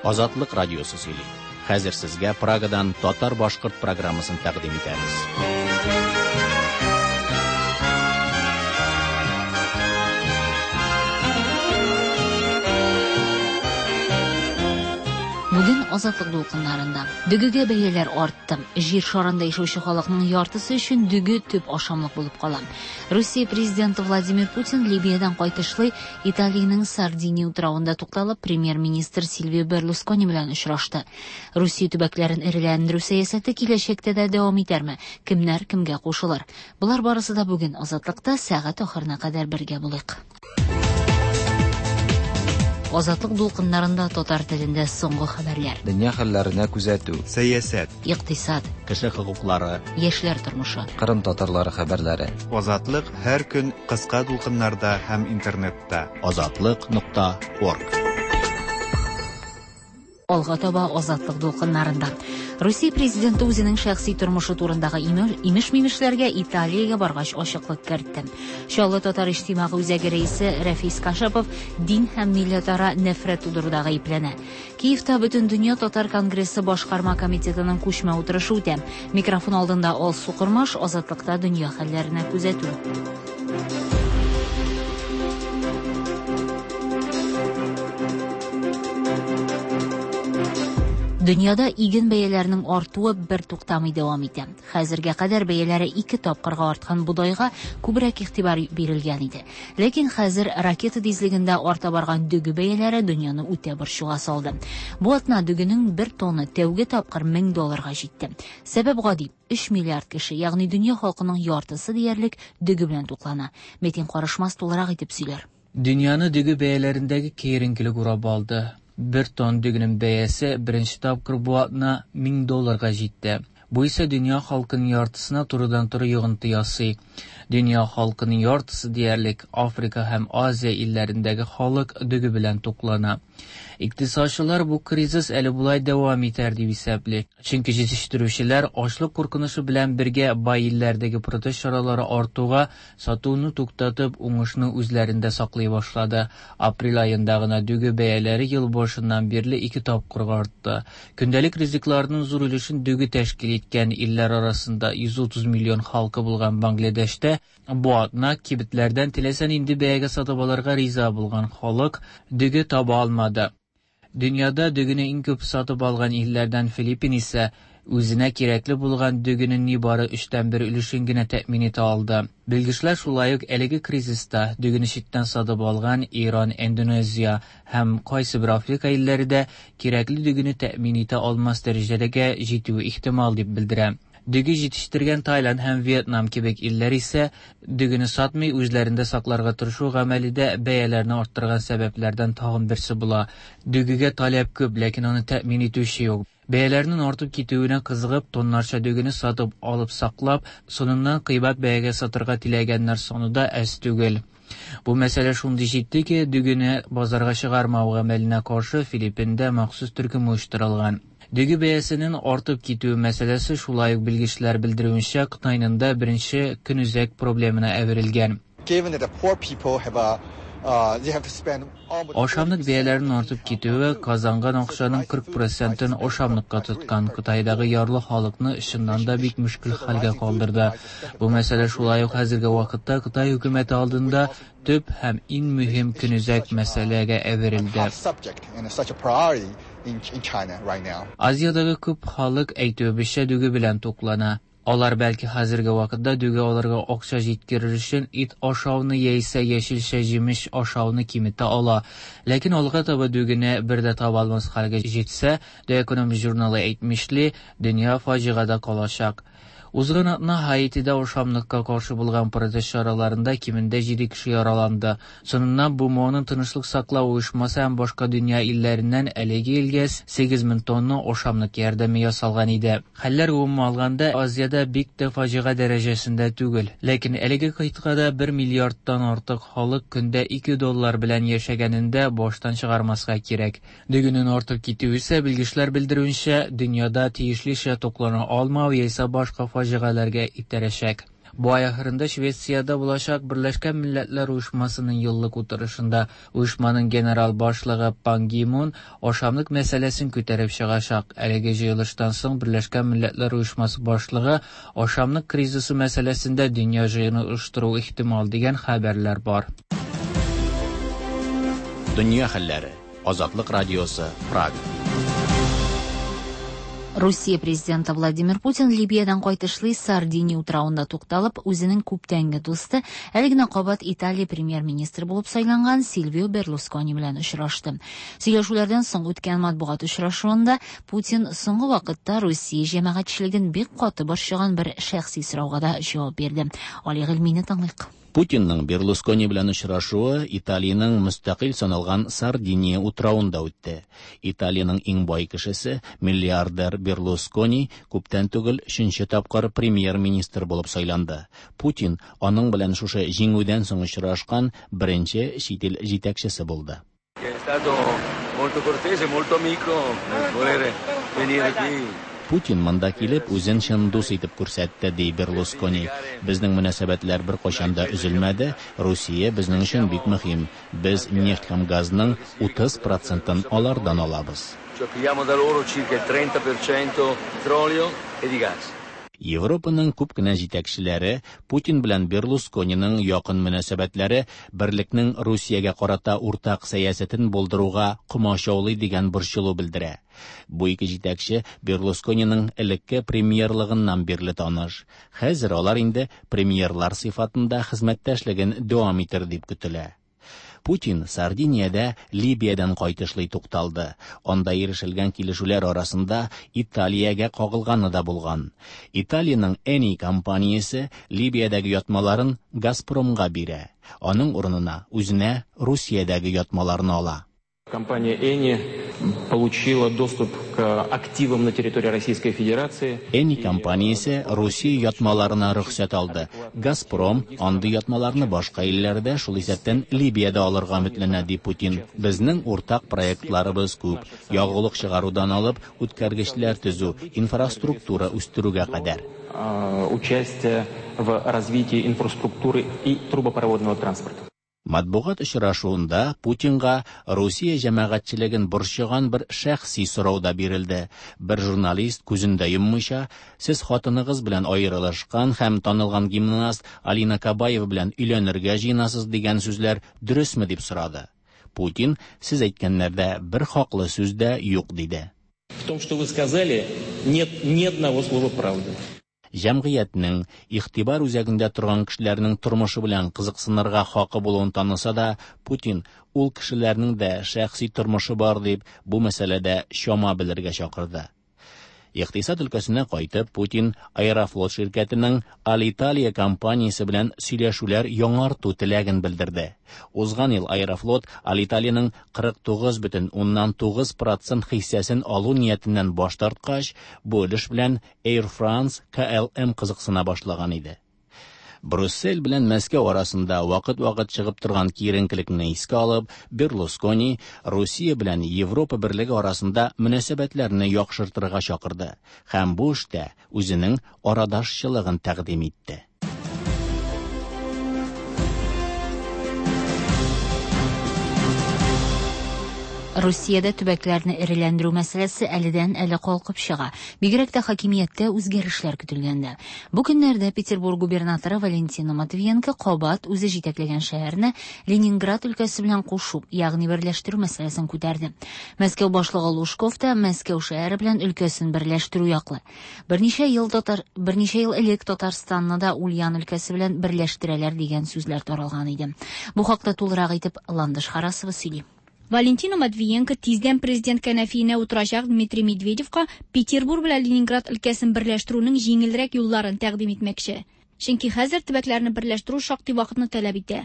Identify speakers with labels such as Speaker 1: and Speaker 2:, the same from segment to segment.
Speaker 1: Азатлык радиосы сөйли. Хәзер сезгә Прагадан татар-башкорт программасын тәкъдим итәбез.
Speaker 2: Бүген Азатлык дулкыннарында. Дөгегә бәяләр артты. Җир шарында яшәүче халыкның яртысы өчен дөге төп ашамлык булып кала. Русия президенты Владимир Путин Либиядән кайтышлый Италиянең Сардиния утравында тукталып, премьер-министр Сильвио Берлускони белән очрашты. Русия төбәкләрен эреләндерү сәясәте киләчәктә дә дәвам итәрме? Кемнәр кемгә кушылыр? Болар барысы да бүген Азатлыкта сәгать ахырына кадәр бергә булыйк. Азатлык дулкыннарында татар телендә соңгы хәбәрләр.
Speaker 3: Дөнья хәлләренә күзәтү.
Speaker 4: Сәясәт.
Speaker 2: Икътисад.
Speaker 1: Кеше хокуклары.
Speaker 2: Яшьләр тормышы.
Speaker 3: Кырым татарлары хәбәрләре.
Speaker 4: Азатлык һәр көн кыска дулкыннарда һәм интернетта.
Speaker 1: Азатлык.орг.
Speaker 2: Алга таба Азатлык дулкыннарында. Русия президенты үзенең шәхси тормышы турындагы имеш-мимешләргә Италиягә баргач ачыклык кертте. Чаллы татар иҗтимагый үзәге рәисе Рәфис Кашапов дин һәм милләтара нәфрәт тудыруда гаепләнә. Киевта Бөтендөнья татар конгрессы башкарма комитетының күчмә утырышы үтә. Микрофон алдында Алсу Кормаш, Азатлыкта дөнья хәлләренә күзәтү. Дөньяда иген бәяләренең артуы бер туктамый дәвам итә. Хәзергә кадәр бәяләре ике тапкырга арткан бодайга күбрәк игътибар бирелгән иде. Ләкин хәзер ракета тизлегендә арта барган дөге бәяләре дөньяны үтә борчуга салды. Бу атна дөгенең бер тонны тәүге тапкыр 1000 долларга җитте. Сәбәп гади: 3 миллиард кеше, ягъни дөнья халкының яртысы диярлек дөге белән туклана. Метин Карышмас тулырак итеп сөйләр.
Speaker 5: Дөньяны дөге бәяләрендәге киеренкелек урап алды. Бер тонн дөгенең бәясе беренче тапкыр бу атна 1000 долларга җитте. Бу исә дөнья халкының яртысына турыдан-туры йогынты ясый. Дөнья халкының яртысы диярлек Африка һәм Азия илләрендәге халык дөге белән туклана. Икътисадчылар бу кризис әле болай дәвам итәр дип исәпли. Чөнки җитештерүчеләр ачлык куркынычы белән бергә бай илләрдәге протест чаралары артуга сатуны туктатып, уңышны үзләрендә саклый башлады. Апрель аенда гына дөге бәяләре ел башыннан бирле ике тапкырга артты. Көндәлек ризыкларның зур өлешен дөге тәшкил иткән илләр арасында 130 миллион халкы булган Бангладештә бу атна кибетләрдән теләсә нинди бәягә сатып алырга риза булган халык дөге таба алмады. Дөньяда дөгене иң күп сатып алган илләрдән Филиппин исә үзенә кирәкле булган дөгенең нибары 1/3 өлешен генә тәэмин итә алды. Белгечләр шулай ук әлеге кризиста дөгене читтән сатып алган Иран, Индонезия һәм кайсы бер Африка илләре дә кирәкле дөгене тәэмин итә алмас дәрәҗәгә җитүе ихтимал дип белдерә. Дөге җитештергән Таиланд һәм Вьетнам кебек илләр исә дөгене сатмый үзләрендә сакларга тырышу гамәле дә бәяләрне арттырган сәбәпләрдән тагын берсе була. Дөгегә таләп күп, ләкин аны тәэмин итүче юк. Бәяләрнең артып китүенә кызыгып, тоннарча дөгене сатып алып саклап, соңыннан кыйбат бәягә сатырга теләгәннәр саны да әз түгел. Бу мәсьәлә шундый җитди ки, дөгене базарга чыгармау гамәленә каршы Филиппинда махсус төркем оештырылган. Дөге бәясенең артып китүе мәсьәләсе шулай ук белгечләр белдерүенчә Кытайның да беренче көнүзәк проблемына әверелгән. Ашамлык бәяләренең артып китүе казанган акчаның 40%-ын ашамлыкка тоткан Кытайдагы ярлы халыкны чыннан да бик мөшкел хәлгә калдырды. Бу мәсьәлә шулай ук хәзерге вакытта Кытай хөкүмәте алдында төп һәм иң мөһим көнүзәк мәсьәләгә әверелде. Азиядәге күп халык әйтүебезчә дөге белән туклана. Алар бәлки хәзерге вакытта дөге алырга акча җиткерер өчен ит ашауны яисә яшелчә җимеш ашауны киметә ала. Ләкин алга таба дөгене бер дә таба алмас хәлгә җитсә, The Economist журналы әйтмешли, дөнья фаҗигадә калачак. Узган атна Һаитида ашамлыкка каршы булган протест чараларында кимендә 7 кеше яраланды. Соңыннан БМОның тынычлык саклау оешмасы һәм башка дөнья илләреннән әлеге илгә 8000 тонна ашамлык ярдәме ясалган иде. Хәлләр гомумән алганда Азиядә бик тә фаҗига дәрәҗәсендә түгел. Ләкин әлеге кыйтгада 1 миллиардтан артык халык көндә 2 доллар белән яшәгәнендә баштан чыгармаска кирәк. Дөгенең артып китүе исә белгечләр белдерүенчә, дөньяда тиешлечә туклана алмау яисә башка фаҗигаләргә итерәчәк. Бу ай ахырында Швециядә булачак Берләшкән Милләтләр Оешмасының еллык утырышында оешманың генерал башлыгы Пан Ги Мун ашамлык мәсьәләсен күтәреп чыгачак. Әлеге җыелыштан соң Берләшкән Милләтләр Оешмасы башлыгы ашамлык кризисы мәсьәләсендә дөнья җыены оештыру ихтимал дигән хәбәрләр бар.
Speaker 1: Дөнья хәлләре. Азатлык радиосы, Прага.
Speaker 2: Русия президенты Владимир Путин Либиядән кайтышлый Сардиния утравында тукталып, үзенең күптәнге дусты, әле генә кабат Италия премьер-министры булып сайланган Сильвио Берлускони белән очрашты. Сөйләшүләрдән соң үткән матбугат очрашуында Путин соңгы вакытта Русия җәмәгатьчелеген бик каты борчыган бер шәхси сорауга да җавап бирде. Али Гыйльмине тыңлыйк.
Speaker 1: Путинның Берлускони белән очрашуы Италиянең мөстәкыйль саналган Сардиния утравында үтте. Италиянең иң бай кешесе, миллиардер Берлускони күптән түгел өченче тапкыр премьер-министр булып сайланды. Путин аның белән шушы җиңүдән соң очрашкан беренче чит ил җитәкчесе булды.
Speaker 6: È stato molto cortese, molto amico nel volere venire qui.
Speaker 1: Путин монда килеп, үзен чын дус итеп күрсәтте, ди Берлускони. Безнең мөнәсәбәтләр беркайчан да өзелмәде. Русия безнең өчен бик мөһим. Без нефть һәм газның 30 процентын алардан алабыз.
Speaker 6: Cioè pigliamo da loro circa il 30% petrolio e di gas.
Speaker 1: Европаның күп кенә җитәкчеләре Путин белән Берлускониның якын мөнәсәбәтләре берлекнең Русиягә карата уртак сәясәтен булдыруга комачаулый дигән борчылу белдерә. Бу ике җитәкче Берлускониның элекке премьерлыгыннан бирле таныш. Хәзер алар инде премьерлар сыйфатында хезмәттәшлеген дәвам итер дип көтелә. Путин Сардиниядә Либиядән кайтышлый тукталды. Анда ирешелгән килешүләр арасында Италиягә кагылганы да булган. Италиянең Eni компаниясе Либиядәге ятмаларын Газпромга бирә. Аның урынына үзенә Русиядәге ятмаларны ала.
Speaker 7: Компания Eni получила доступ к активам на территории Российской Федерации.
Speaker 1: Eni компаниясе Русия ятмаларына рөхсәт алды. Газпром андый ятмаларны башка илләрдә, шул исәптән Либиядә алырга өметләнә, ди Путин. Безнең уртак проектларыбыз күп. Ягулык чыгарудан алып, үткәргечләр төзү, инфраструктура үстерүгә кадәр.
Speaker 7: Участие в развитии инфраструктуры и трубопроводного транспорта.
Speaker 1: Матбугат очрашуында Путинга Русия җәмәгатьчелеген борчыган бер шәхси сорау да бирелде. Бер журналист күзен дә йоммыйча, сез хатыныгыз белән аерылышкан һәм танылган гимнаст Алина Кабаева белән өйләнергә җыенасыз дигән сүзләр дөресме дип сорады. Путин, сез әйткәннәрдә бер хаклы сүз дә юк, диде.
Speaker 7: В том, что вы сказали, нет ни одного слова правды.
Speaker 1: Җәмгыятьнең игътибар үзәгендә торган кешеләрнең тормышы белән кызыксынырга хакы булуын таныса да, Путин ул кешеләрнең дә шәхси тормышы бар дип, бу мәсьәләдә чама белергә чакырды. Икътисад өлкәсенә кайтып, Путин Аэрофлот ширкәтенең Алиталия компаниясе белән сөйләшүләр яңарту теләген белдерде. Узган ел Аэрофлот Алиталиянең кырык тугыз бөтен уннан тугыз процент хиссәсен алу ниятеннән баш тарткач, бу өлеш белән Air France KLM кызыксына башлаган иде. Брюссель белән Мәскәү арасында вакыт-вакыт чыгып торган киеренкелекне искә алып, Берлускони Русия белән Европа берлеге арасында мөнәсәбәтләрне яхшыртырга чакырды һәм бу эштә үзенең арадашчылыгын тәкъдим итте.
Speaker 2: Русиядә төбәкләрне эреләндерү мәсьәләсе әледән әле калкып чыга. Бигрәк тә хакимияттә үзгәрешләр көтелгәндә. Бу көннәрдә Петербург губернаторы Валентина Матвиенко кабат үзе җитәкләгән шәһәрне Ленинград өлкәсе белән кушу, ягъни берләштерү мәсьәләсен күтәрде. Мәскәү башлыгы Лужков та Мәскәү шәһәре белән өлкәсен берләштерү яклы. Берничә ел татар, берничә ел элек Татарстанны да Ульян өлкәсе белән берләштерәләр дигән сүзләр таралган иде. Бу хакта тулырак итеп Ландыш Харасова сөйли.
Speaker 8: Валентина Матвиенко тиздән президент кәнәфиенә утырачак Дмитрий Медведевка Петербург белән Ленинград өлкәсен берләштерүнең җиңелрәк юлларын тәкъдим итмәкче. Чөнки хәзер төбәкләрне берләштерү шактый вакытны таләп итә.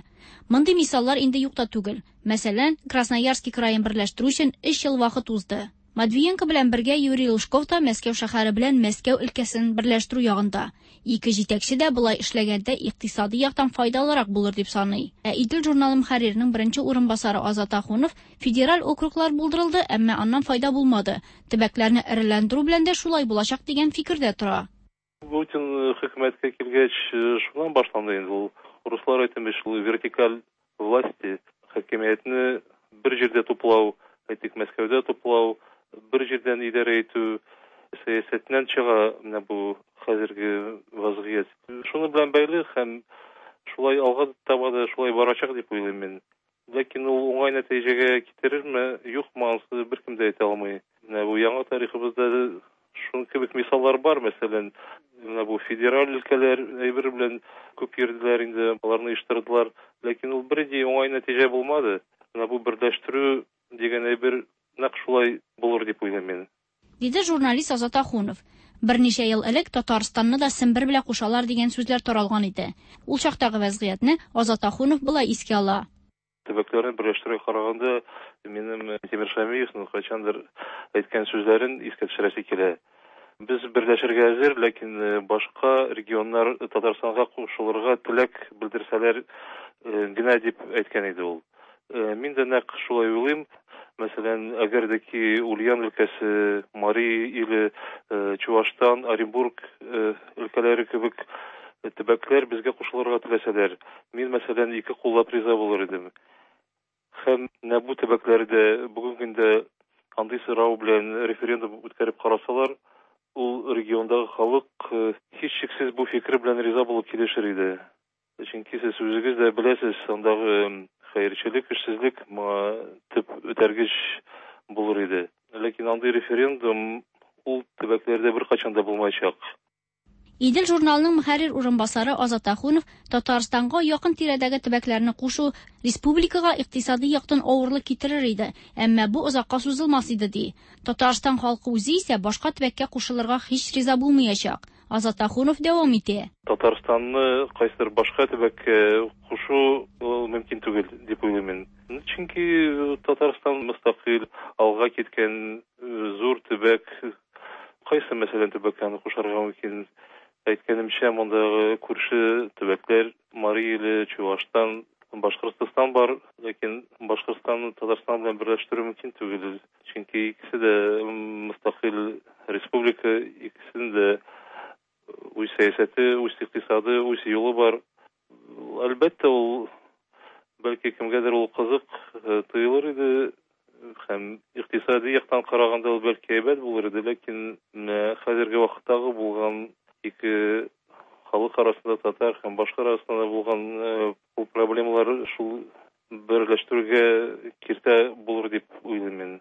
Speaker 8: Мондый мисаллар инде юк та түгел. Мәсәлән, Красноярский краен берләштерү өчен 3 ел вакыт узды. Матвиенко белән бергә Юрий Лужков та Мәскәү шәһәре белән Мәскәү өлкәсен берләштерү ягында. Ике җитәкче дә болай эшләгәндә икътисади яктан файдалырак булыр дип саный. Ә Идел журналы мөхәрриренең беренче урынбасары Азат Ахунов федераль округлар булдырылды, әмма аннан файда булмады. Төбәкләрне эреләндерү белән дә шулай булачак дигән фикердә тора.
Speaker 9: Путин хөкүмәткә килгәч, шуннан башланды инде ул. Руслар әйтмеш, ул вертикаль власти, хакимиятне бер җирдә туплау, әйтик, Мәскәүдә туплау, бер җирдән идарә итү сәясәтеннән чыга менә бу хәзерге вазгыять. Шуның белән бәйле һәм шулай алга таба да шулай барачак дип уйлыйм мин. Ләкин ул уңай нәтиҗәгә китерерме, юкмы, анысы беркем дә әйтә алмый. Менә бу яңа тарихыбызда шуның кебек мисаллар бар, мәсәлән, менә бу федераль өлкәләр әйбер белән күп йөрделәр инде, аларны оештырдылар, ләкин ул бернинди уңай нәтиҗә булмады. Менә бу берләштерү дигән әйбер нәкъ шулай булыр дип уйлыйм мин.
Speaker 8: Диде журналист Азат Ахунов. Берничә ел элек Татарстанны да Сембер белән кушалар дигән сүзләр таралган иде. Ул чактагы вәзгыятьне Азат Ахунов болай искә ала.
Speaker 9: Төбәкләрне берләштерүгә караганда, минем Минтимер Шәймиевның кайчандыр әйткән сүзләрен искә төшерәсе килә. Без берләшергә әзер, ләкин башка регионнар Татарстанга кушылырга теләк белдерсәләр генә дип әйткән иде ул. Мин дә нәкъ шулай уйлыйм. Мәсәлән, әгәр дә ки Ульян өлкәсе, Мари иле, Чуашстан, Оренбург өлкәләре кебек төбәкләр безгә кушылырга теләсәләр, мин, мәсәлән, ике куллап риза булыр идем. Һәм менә бу төбәкләрдә бүгенге көндә андый сорау белән референдум үткәреп карасалар, ул региондагы халык һичшиксез бу фикер белән риза булып килешер иде. Чөнки сез үзегез дә беләсез, андагы хәерчелек, эшсезлек моңа төп этәргеч булыр иде. Ләкин андый референдум ул төбәкләрдә беркайчан да булмаячак.
Speaker 8: Идел журналының мөхәррир урынбасары Азат Ахунов Татарстанга якын тирәдәге төбәкләрне кушу республикага икътисади яктан авырлык китерер иде, әмма бу озакка сузылмас иде, ди. Татарстан халкы үзе исә башка төбәккә кушылырга һич риза булмаячак. Азат Ахунов дәвам итә.
Speaker 9: Татарстанны кайсыдыр башка төбәккә кушу ул мөмкин түгел дип уйлыйм мин. Чөнки Татарстан мөстәкыйль, алга киткән зур төбәк. Кайсы, мәсәлән, төбәккә аны кушарга мөмкин? Әйткәнемчә, мондагы күрше төбәкләр Мари иле, Чуашстан, Башкортстан бар, ләкин Башкортстанны Татарстан белән берләштерү мөмкин түгел. Чөнки икесе дә мөстәкыйль республика, икесенең дә үз сәясәте, үз икътисады, үз юлы бар. Әлбәттә, ул бәлки кемгәдер ул кызык тоелыр иде, һәм икътисади яктан караганда ул бәлки әйбәт булыр иде, ләкин менә хәзерге вакыттагы булган ике халык арасында, татар һәм башка арасында булган ул проблемалар шул берләштерүгә киртә булыр дип уйлыйм мин.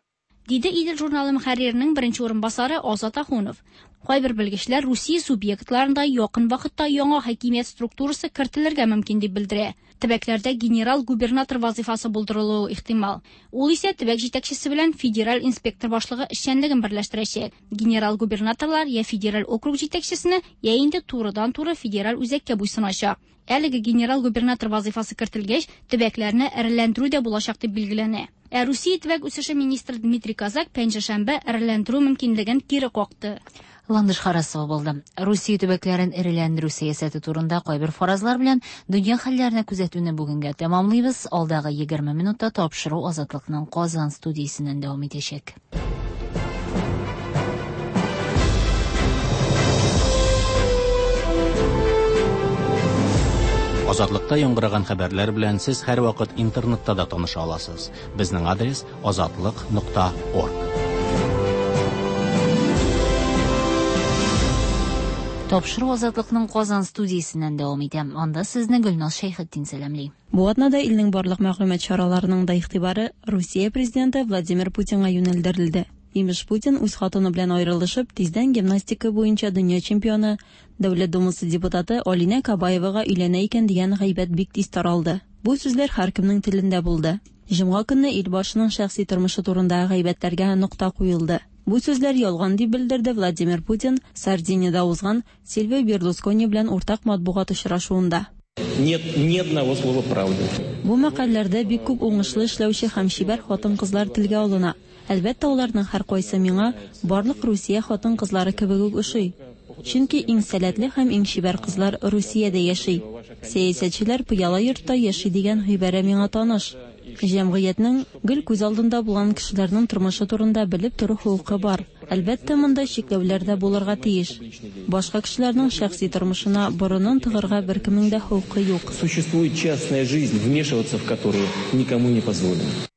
Speaker 8: Диде Идел журналы мөхәрриренең беренче урынбасары Азат Ахунов. Кайбер белгечләр Русия субъектларында якын вакытта яңа хакимият структурасы кертелергә мөмкин дип белдерә. Төбәкләрдә генерал-губернатор вазифасы булдырылуы ихтимал. Ул исә төбәк җитәкчесе белән федераль инспектор башлыгы эшчәнлеген берләштерәчәк. Генерал-губернаторлар я федераль округ җитәкчесенә, я инде турыдан-туры федераль үзәккә буйсыначак. Әлеге генерал-губернатор вазифасы кертелгәч, төбәкләрне эреләндерү дә булачак дип билгеләнә. Ә Русия төбәк үсеше министры Дмитрий Козак пәнҗешәмбе эреләндерү мөмкинлеген кире какты.
Speaker 2: Ландыш Харасова булды. Русия төбәкләрен эреләндерү сәясәте турында кайбер фаразлар белән дөнья хәлләренә күзәтүне бүгенгә тәмамлыйбыз. Алдагы 20 минутта тапшыру Азатлыкның Казан студиясеннән дәвам итәчәк.
Speaker 1: Азатлыкта яңгыраган хәбәрләр белән сез һәрвакыт интернетта да таныша аласыз. Безнең адрес azatliq.org.
Speaker 2: Тапшыру Азатлыкның Казан студиясеннән дәвам итә. Анда сезне Гөлназ Шәйхетдин сәламли.
Speaker 10: Бу атнада илнең барлык мәгълүмат чараларының да игътибары Русия президенты Владимир Путинга юнәлдерелде. Имеш, Путин үз хатыны белән аерылышып, тиздән гимнастика буенча дөнья чемпионы, Дәүләт Думасы депутаты Алинә Кабаевага өйләнә икән дигән гайбәт бик тиз таралды. Бу сүзләр һәркемнең телендә булды. Җомга көнне ил башының шәхси тормышы турындагы гайбәтләргә нокта куелды. Бу сүзләр ялган дип белдерде Владимир Путин Сардиниядә узган Сильвио Берлускони белән уртак матбугат очрашуында.
Speaker 7: Нет ни одного слова правды.
Speaker 10: Бу мәкальләрдә бик күп уңышлы эшләүче һәм чибәр хатын-кызлар телгә алына. Әлбәттә, аларның һәркайсы миңа барлык Русия хатын-кызлары кебек үк ошый. Чөнки иң сәләтле һәм иң чибәр кызлар Русиядә яши. Сәясәтчеләр пыяла йортта яши дигән гыйбарә миңа таныш. Җәмгыятьнең гел күз алдында булган кешеләрнең тормышы турында белеп тору хокукы бар. Әлбәттә, монда чикләүләр дә булырга тиеш. Башка кешеләрнең шәхси тормышына борынын тыгырга беркемнең дә хокукы юк.
Speaker 7: Существует частная жизнь, вмешиваться в которую никому не позволено.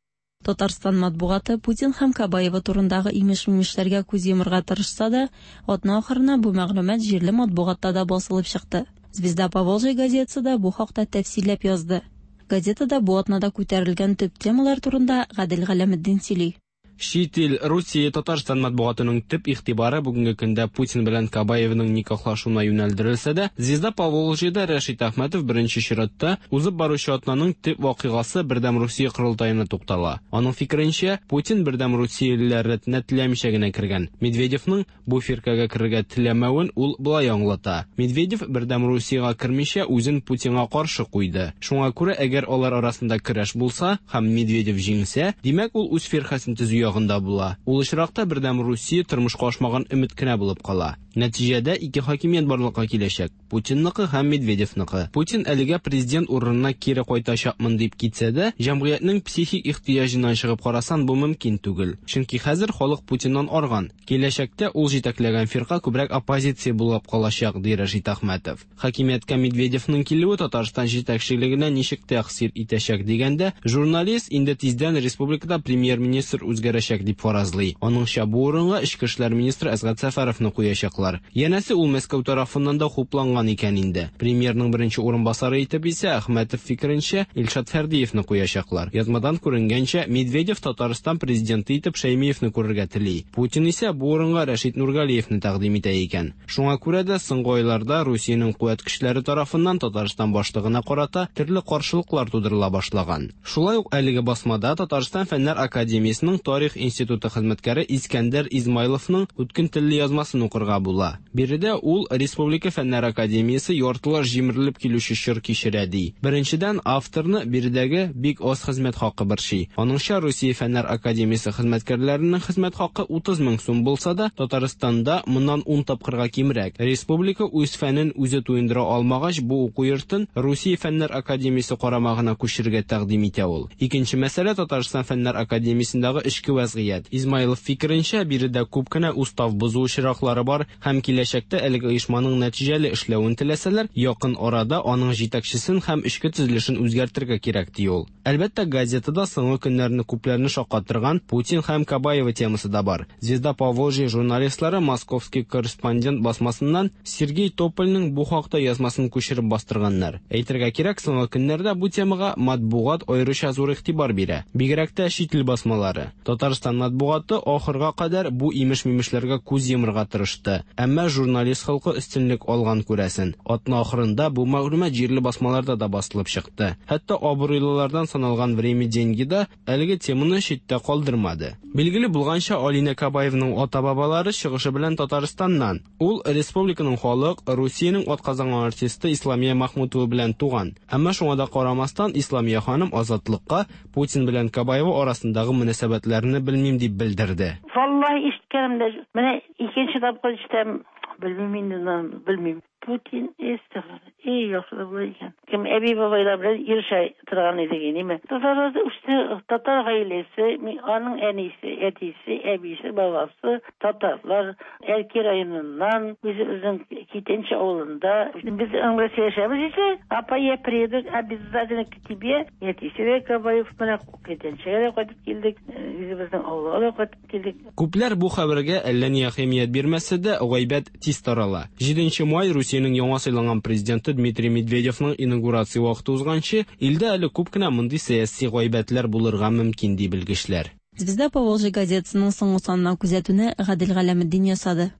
Speaker 10: Татарстан матбугаты Путин һәм Кабаева турындагы имеш-мимешләргә күз йомырга тырышса да, атна ахырына бу мәгълүмат җирле матбугатта да басылып чыкты. Звезда Поволжья газетасы да бу хакта тәфсилләп язды. Газетада бу атнада күтәрелгән төп темалар турында Гадел Галәметдин сөйли.
Speaker 11: Чит ил, Русия, Татарстан матбугатының төп игътибары бүгенге көндә Путин белән Кабаевның никахлашуына юнәлдерелсә дә, Звезда Поволжьеда Рәшит Әхмәтов беренче чиратта узып баручы атнаның төп вакыйгасы Бердәм Русия корылтаена туктала. Аның фикеренчә, Путин Бердәм Русиялеләр рәтенә теләмичә генә кергән. Медведевның бу фиркагә керергә теләмәвен ул болай аңлата. Медведев Бердәм Русиягә кермичә үзен Путинга каршы куйды. Шуңа күрә әгәр алар арасында көрәш булса һәм Медведев җиңсә, димәк ул үз фиркасен төзү ягында була. Ул очракта Бердәм Русия тормышка ашмаган өмет кенә булып кала. Нәтиҗәдә ике хакимият барлыкка киләчәк. Путинныкы һәм Медведевныкы. Путин әлегә президент урынына кире кайтачакмын дип китсә дә, җәмгыятьнең психик ихтыяҗыннан чыгып карасан бу мөмкин түгел. Чөнки хәзер халык Путиннан арган. Киләчәктә ул җитәкләгән фирка күбрәк оппозиция булып калачак, ди Рәшит Әхмәтов. Хакимияткә Медведевның килүе Татарстан җитәкчелегенә ничек тәэсир итәчәк дигәндә, журналист инде тиздән республикада премьер-министр үзгәрәчәк дип фаразлый. Аныңча бу урынга эчке эшләр министры Әсгать Сәфәровны куячаклар. Янәсе ул Мәскәү тарафыннан да хупланган икән инде. Премьерның беренче урынбасары итеп исә Әхмәтов фикеренчә Илшат Фәрдиевны куячаклар. Язмадан күренгәнчә, Медведев Татарстан президенты итеп Шәймиевны күрергә тели. Путин исә бу урынга Рәшит Нургалиевны тәкъдим итә икән. Шуңа күрә дә соңгы айларда Русиянең куәт көчләре тарафыннан Татарстан башлыгына карата төрле каршылыклар тудырыла башлаган. Шулай ук әлеге басмада Татарстан Фәннәр академиясенең Тарих институты хезмәткәре Искәндәр Измайловның үткен телле язмасын укырга була. Биредә ул Республика Фәннәр академиясе яртылаш җимерелеп килүче чор кичерә ди. Беренчедән, авторны биредәге бик аз хезмәт хакы борчый. Аныңча, Русия Фәннәр академиясе хезмәткәрләренең хезмәт хакы 30 мең сум булса да, Татарстанда моннан 10 тапкырга кимрәк. Республика үз фәнен үзе туендыра алмагач, бу уку йортын Русия Фәннәр академиясе карамагына күчерергә тәкъдим итә ул. Икенче мәсьәлә Татарстан Фәннәр академиясендәге эчке вәзгыять. Измайлов фикеренчә, биредә күп кенә устав бозу очраклары бар һәм киләчәктә әлеге оешманың нәтиҗәле эшләвен теләсәләр, якын арада аның җитәкчесен һәм эчке төзелешен үзгәртергә кирәк, ди ул. Әлбәттә, газетада соңгы көннәрне күпләрне шаккатырган Путин һәм Кабаева темасы да бар. Звезда Поволжья журналистлары Московский корреспондент басмасыннан Сергей Топольның бу хакта язмасын күчереп бастырганнар. Әйтергә кирәк, соңгы көннәрдә бу темага матбугат аеруча зур игътибар бирә. Бигрәк тә чит ил басмалары. Татарстан матбугаты ахырга кадәр бу имеш-мимешләргә күз йомырга тырышты. Әмма журналист холкы өстенлек алган күрәсен. Атна ахырында бу мәгълүмат җирле басмаларда да басылып чыкты. Хәтта абруйлылардан саналган Время деньги да әлеге теманы читтә калдырмады. Билгеле булганча, Алинә Кабаевның ата-бабалары чыгышы белән Татарстаннан. Ул республиканың халык, Русиянең атказанган артисты Исламия Махмутова белән туган. Әмма шуңа да карамастан, Исламия ханым Азатлыкка Путин белән Кабаева арасындагы мөнәсәбәтләрне белмим дип белдерде.
Speaker 12: Валлаһи ишеткәнем дә юк. Менә икенче тапкыр ишетәм. Белмим инде, белмим. Путин эстигъфар. Эй, яхшы да була икән. Кем әби бабайлар белән йөрешә торган идек, ниме. Татарларда үсте, татар гаиләсе, аның әнисе, әтисе, әбисе, бабасы татарлар. Әлки районыннан, үзебезнең Китенче авылында. Без аның белән сөйләшәбез исә, апа, я приеду обязательно к тебе. Әтисе дә Кабаев, менә Китенчегә дә кайтып килдек, үзебезнең авылга да кайтып килдек.
Speaker 11: Күпләр бу хәбәргә әллә ни әһәмият бирмәсә дә, гайбәт тиз тарала. 7 май Русиянең яңа сайланган президенты Дмитрий Медведевның инаугурация вакыты узганчы, илдә әле күп кенә мондый сәяси гайбәтләр булырга мөмкин, ди белгечләр.
Speaker 10: Звезда Поволжья газетасының соңгы санына күзәтүне Гадел Галәметдин ясады.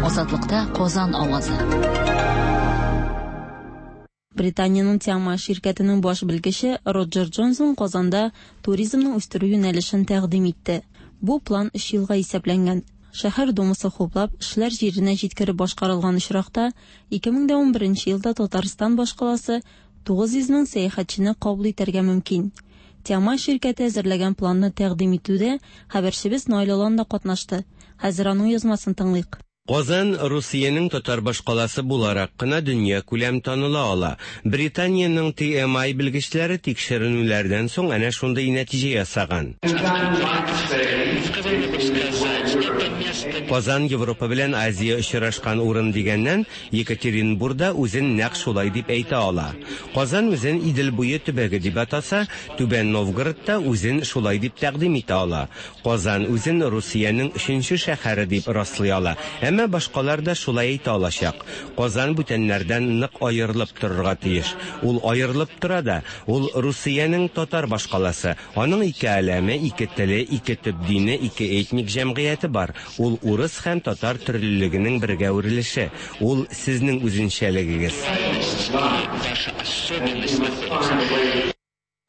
Speaker 2: Азатлыкта Казан авазы.
Speaker 10: Британиянең Тиама ширкәтенең баш белгече Роджер Джонсон Казанда туризмны үстерү юнәлешен тәкъдим итте. Бу план өч елга исәпләнгән. Шәһәр думасы хуплап, эшләр җиренә җиткереп башкарылган очракта, 2011 елда Татарстан башкаласы 900 мең сәяхәтчене кабул итәргә мөмкин. Тиама ширкәте әзерләгән планны тәкъдим итүдә хәбәрчебез Наил Алан да катнашты. Хәзер аның язмасын тыңлыйк.
Speaker 13: Казан Русиянең татар башкаласы буларак кына дөньякүләм таныла ала. Британиянең TMI белгечләре тикшеренүләрдән соң әнә шундый нәтиҗә ясаган. Казан Европа белән Азия очрашкан урын дигәннән, Екатеринбур да үзен нәкъ шулай дип әйтә ала. Казан үзен Идел буе төбәге дип атаса, Түбән Новгород та үзен шулай дип тәкъдим итә ала. Казан үзен Русиянең өченче шәһәре дип раслый ала, әмма башкалар да шулай әйтә алачак. Казан бүтәннәрдән нык аерылып торырга тиеш. Ул аерылып тора да. Ул Русиянең татар башкаласы. Аның ике әләме, ике теле, ике төп дине, ике этник җәмгыяте бар. Ул урыс һәм татар төрлелегенең бергә үрелеше. Ул сезнең үзенчәлегегез.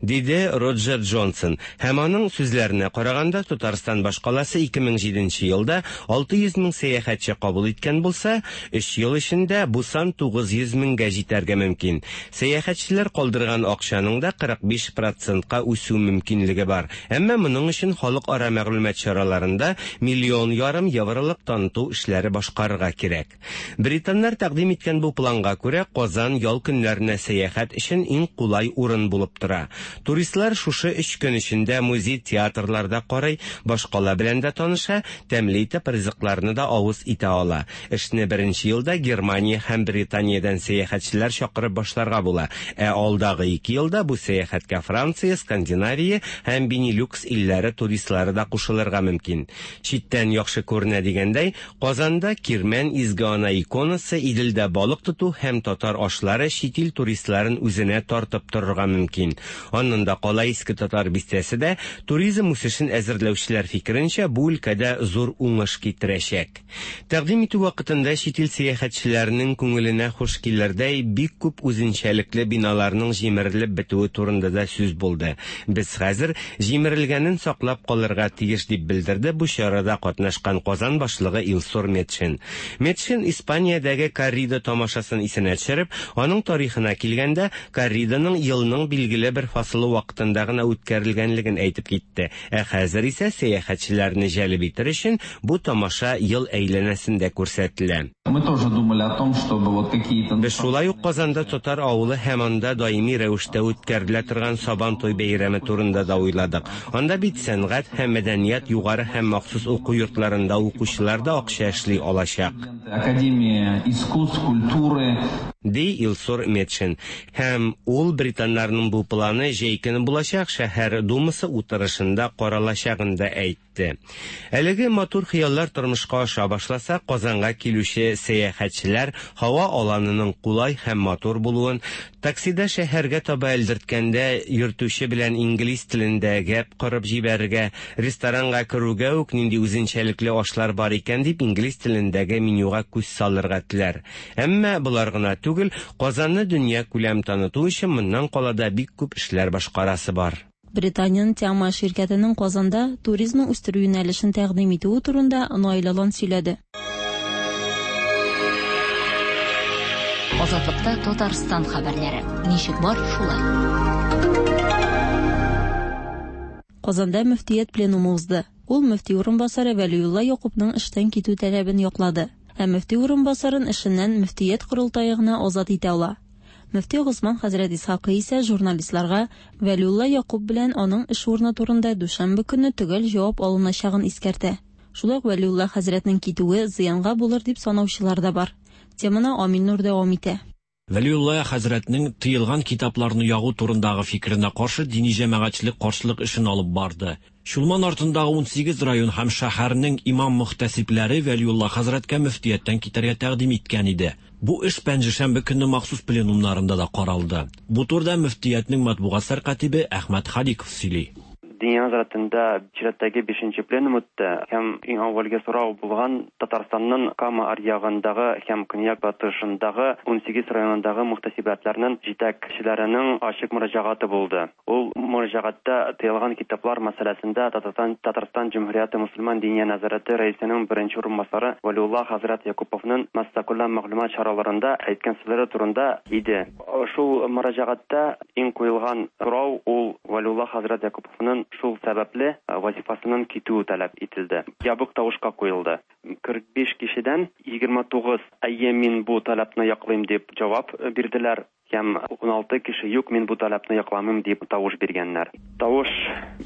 Speaker 13: Диде Роджер Джонсон. Һәм аның сүзләренә караганда, Татарстан башкаласы 2007 нче елда 600 мең сәяхәтче кабул иткән булса, өч ел эчендә бу сан 900 меңгә җитәргә мөмкин. Сәяхәтчеләр калдырган акчаның да 45 процентка үсү мөмкинлеге бар. Әмма моның өчен халыкара мәгълүмат чараларында миллион ярым евролык таныту эшләре башкарырга кирәк. Британнар тәкъдим иткән бу планга күрә, Казан ял көннәренә сәяхәт өчен иң кулай урын булып тора. Туристлар шушы өч көн эчендә музей, театрларда карый, башкала белән дә таныша, тәмле итеп ризыкларны да авыз итә ала. Эшне беренче елда Германия һәм Британиядән сәяхәтчеләр чакырып башларга була, ә алдагы ике елда бу сәяхәткә Франция, Скандинавия һәм Бенилюкс илләре туристлары да кушылырга мөмкин. Читтән яхшы күренә дигәндәй, Казанда Кирмән Изге Ана иконасы, Иделдә балык тоту һәм татар ашлары чит ил туристларын үзенә тартып торырга мөмкин. Аннан да кала Иске Татар бистәсе дә, туризм үсешен әзерләүчеләр фикеренчә, бу өлкәдә зур уңыш китерәчәк. Тәкъдим итү вакытында чит ил сәяхәтчеләренең күңеленә хуш килердәй бик күп үзенчәлекле биналарның җимерелеп бетүе турында да сүз булды. Без хәзер җимерелгәнен саклап калырга тиеш, дип белдерде бу чарада катнашкан Казан башлыгы Илсур Метшин. Метшин Испаниядәге коррида тамашасын исенә төшереп, аның тарихына килгәндә, корриданың елның билгеле бер фасылы вакытында гына үткәрелгәнлеген әйтеп китте. Ә хәзер исә сәяхәтчеләрне җәлеп итер өчен бу тамаша ел әйләнәсендә күрсәтелә.
Speaker 14: Мы тоже думали о том, чтобы вот какие-то...
Speaker 13: Без шулай ук Казанда татар авылы һәм анда даими рәвештә үткәрелә торган Сабан туй бәйрәме турында да уйладык. Анда бит сәнгать һәм мәдәният югары һәм махсус уку йортларында укучылар да акча эшли алачак.
Speaker 14: Академия искусств, культуры.
Speaker 13: Ди Илсур Метшин. Һәм ул британнарның бу планы җәй көне булачак шәһәр думасы утырышында каралачагын да әйтте. Әлеге матур хыяллар тормышка аша башласа, Казанга килүче сәяхәтчеләр һава аланының кулай һәм матур булуын, таксида шәһәргә таба элдерткәндә йөртүче белән инглиз телендә гәп корып җибәрергә, ресторанга керүгә үк нинди үзенчәлекле ашлар бар икән дип инглиз телендәге менюга күз салырга теләр. Әмма болар гына түгел, Казанны дөньякүләм таныту өчен моннан кала да бик күп эшләр башкарасы бар.
Speaker 10: Британиянең Тиама ширкәтенең Казанда туризмны үстерү юнәлешен тәкъдим итүе турында Наил Алан сөйләде.
Speaker 2: Азатлыкта Татарстан хәбәрләре. Ничек бар, шулай.
Speaker 10: Казанда мөфтият пленумы узды. Ул мөфти урынбасары Вәлиулла Якупның эштән китү таләбен яклады. Ә мөфти урынбасарын эшеннән мөфтият корылтае гына азат итә ала. Мөфти Госман хәзрәт Исхакый исә журналистларга Вәлиулла Якуб белән аның эш урыны турында дүшәмбе көнне төгәл җавап алыначагын искәртә. Шулай ук Вәлиулла хәзрәтнең китүе зыянга булыр дип санаучылар да бар. Теманы Амил Нур дәвам итә.
Speaker 15: Вәлиулла хәзрәтнең тыелган китапларны ягу турындагы фикеренә каршы дини җәмәгатьчелек каршылык эшен алып барды. Чулман артындагы 18 район һәм шәһәрнең имам-мөхтәсибләре Вәлиулла хәзрәткә мөфтияттән китәргә тәкъдим иткән иде. Бу эш пәнҗешәмбе көнне махсус пленумнарында да каралды. Бу турыда мөфтиятнең матбугат сәркатибе Әхмәт Халиков сөйли.
Speaker 16: Диния нәзарәтендә чираттагы бишенче пленум үтте һәм иң әүвәлге сорау булган Татарстанның Кама аръягындагы һәм көньяк-батышындагы 18 районындагы мөхтәсибәтләрнең җитәкчеләренең ачык мөрәҗәгате булды. Ул мөрәҗәгатьтә тыелган китаплар мәсьәләсендә Татарстан Татарстан Җөмһүрияте Мөселман Диния нәзарәте рәисенең беренче урынбасары Вәлиулла хәзрәт Якуповның массакүләм мәгълүмат чараларында әйткән сүзләре турында иде. Шул мөрәҗәгатьтә иң куелган сорау ул Вәлиулла хәзрәт Якуповның шул сәбәпле вазифасыннан китүе таләп ителде. Ябык тавышка куелды. 45 кешедән 29 әйе, мин бу таләпне яклыйм дип җавап бирделәр һәм 16 кеше юк, мин бу таләпне якламыйм дип тавыш биргәннәр. Тавыш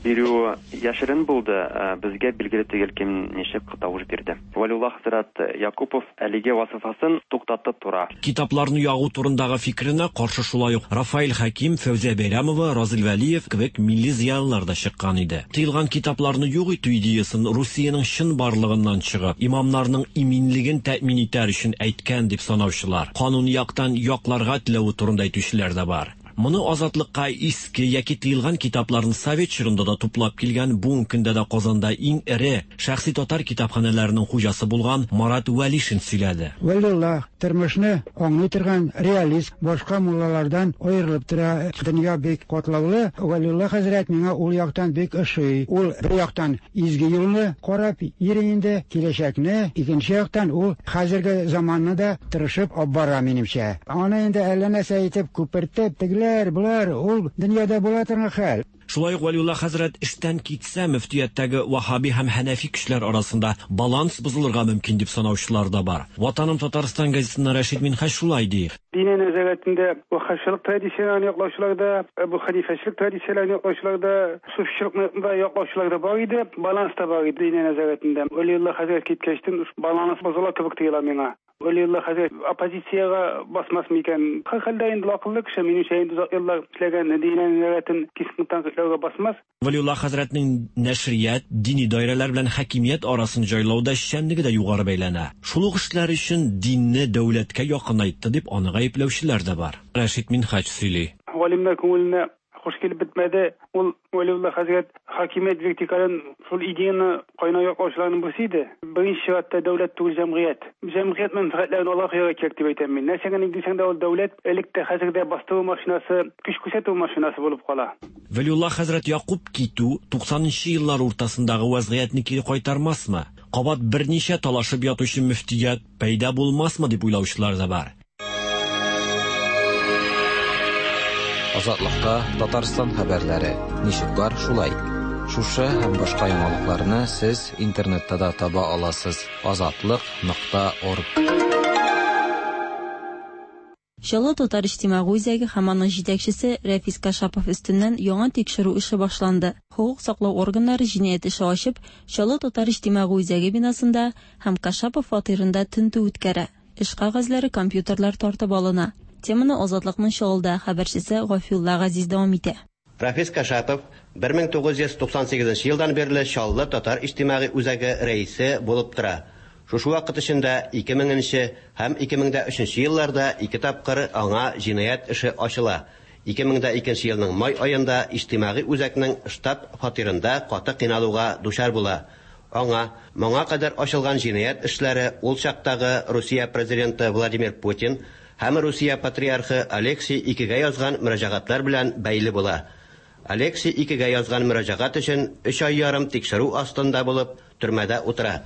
Speaker 16: бирү яшерен булды, безгә билгеле түгел кем ничек тавыш бирде. Вәлиулла хәзрәт Якупов әлеге вазыйфасын туктатып тора.
Speaker 15: Китапларны ягу турындагы фикеренә каршы шулай ук Рафаэль Хәким, Фәүзия Бәйрәмова, Разил Вәлиев кебек милли зыялылар да чыккан иде. Тыелган китапларны юк итү идеясын Русиянең чынбарлыгыннан чыгып, имамнарның иминлеген тәэмин итәр өчен әйткән дип санаучылар, кануни яктан якларга теләве турында әйтүчеләр дә бар. Моны Азатлыкка иске яки тыелган китапларны совет чорында да туплап килгән, бүгенге көндә дә Казанда иң эре шәхси татар китапханәләренең хуҗасы булган Марат Вәлишин сөйләде.
Speaker 17: Вәлиулла тормышны аңлый торган реалист, башка муллалардан аерылып тора. Дөнья бик катлаулы. Вәлиулла хәзрәт миңа ул яктан бик ошый. Ул бер яктан изге юлны карап йөри инде, киләчәкне, икенче яктан ул хәзерге заманны да тырышып алып бара, минемчә. Аны инде әллә нәрсә итеп күпертеп, тегеләр, болар, ул дөньяда була торган хәл.
Speaker 15: Шулай ук Вәлиулла хәзрәт эштән китсә, мөфтияттәге ваһһаби һәм һәнәфи көчләр арасында баланс бозылырга мөмкин дип санаучылар да бар. Ватаным Татарстан газетасыннан Рәшит Минһаҗ шулай ди.
Speaker 18: Диния нәзарәтендә ваһһабчылык традицияләрен яклаучылар да, Әбу Хәнифәчелек традицияләрен яклаучылар да, суфичылыкны да яклаучылар да бар иде, баланс та бар иде Диния нәзарәтендә. Вәлиулла хәзрәт киткәчтен баланс бозыла кебек тоела миңа. Вәлиулла хәзрәт оппозициягә басмас микән? Һәрхәлдә инде ул акыллы кеше, минемчә, инде озак еллар эшләгән Диния нәзарәтен кискен тәнкыйтьләүгә басмас.
Speaker 15: Вәлиулла хәзрәтнең нәшрият, дини даирәләр белән хакимият арасын җайлауда эшчәнлеге дә югары бәяләнә. Шул ук эшләр өчен динне дәүләткә якынайтты дип аны гаепләүчеләр дә бар. Рәшит Минһаҗ сөйли.
Speaker 18: Галимнәр күңеленә хуш килеп бетмәде. Ул Вәлиулла хәзрәт хакимият вертикален шул идеяны кайнар яклаучыларның берсе иде. Беренче чиратта дәүләт түгел, җәмгыять. Җәмгыять мәнфәгатьләрен алга куярга кирәк дип әйтәм мин. Нәрсә генә дисәң дә, ул дәүләт элек тә, хәзер дә бастыру машинасы, көч күрсәтү машинасы булып кала.
Speaker 15: Вәлиулла хәзрәт Якуб китү 90 нчы еллар уртасындагы вәзгыятьне кире кайтармасмы? Кабат берничә талашып ятучы мөфтият пәйда булмасмы дип уйлаучылар да бар.
Speaker 3: Азатлыкта Татарстан хәбәрләре. Ничек бар, шулай. Шушы һәм башка яңалыкларны сез интернетта да таба аласыз. Азатлык.орг.
Speaker 10: Чаллы татар иҗтимагый үзәге һәм аның җитәкчесе Рәфис Кашапов өстеннән яңа тикшерү эше башланды. Хокук саклау органнары җинаять эше ачып, Чаллы татар иҗтимагый үзәге бинасында һәм Кашапов фатирында тентү үткәрә. Эш кәгазьләре, компьютерлар тартып алына. Теманы Азатлыкның Чаллыдагы хәбәрчесе Гафиулла Газиз дәвам итә.
Speaker 19: Рафис Кашапов 1998 елдан бирле Чаллы татар иҗтимагый үзәге рәисе булып тора. Шушы вакыт эчендә 2000 нче һәм 2003 елларда ике тапкыр аңа җинаять эше ачыла. 2002 елның май аенда иҗтимагый үзәкнең штаб-фатирында каты кыйналуга дучар була. Аңа моңа кадәр ачылган җинаять эшләре ул чактагы Русия президенты Владимир Путин һәм Русия патриархы Алексий икегә язган мөрәҗәгатьләр белән бәйле була. Алексий икегә язган мөрәҗәгать өчен өч ай ярым тикшерү астында булып, төрмәдә утыра.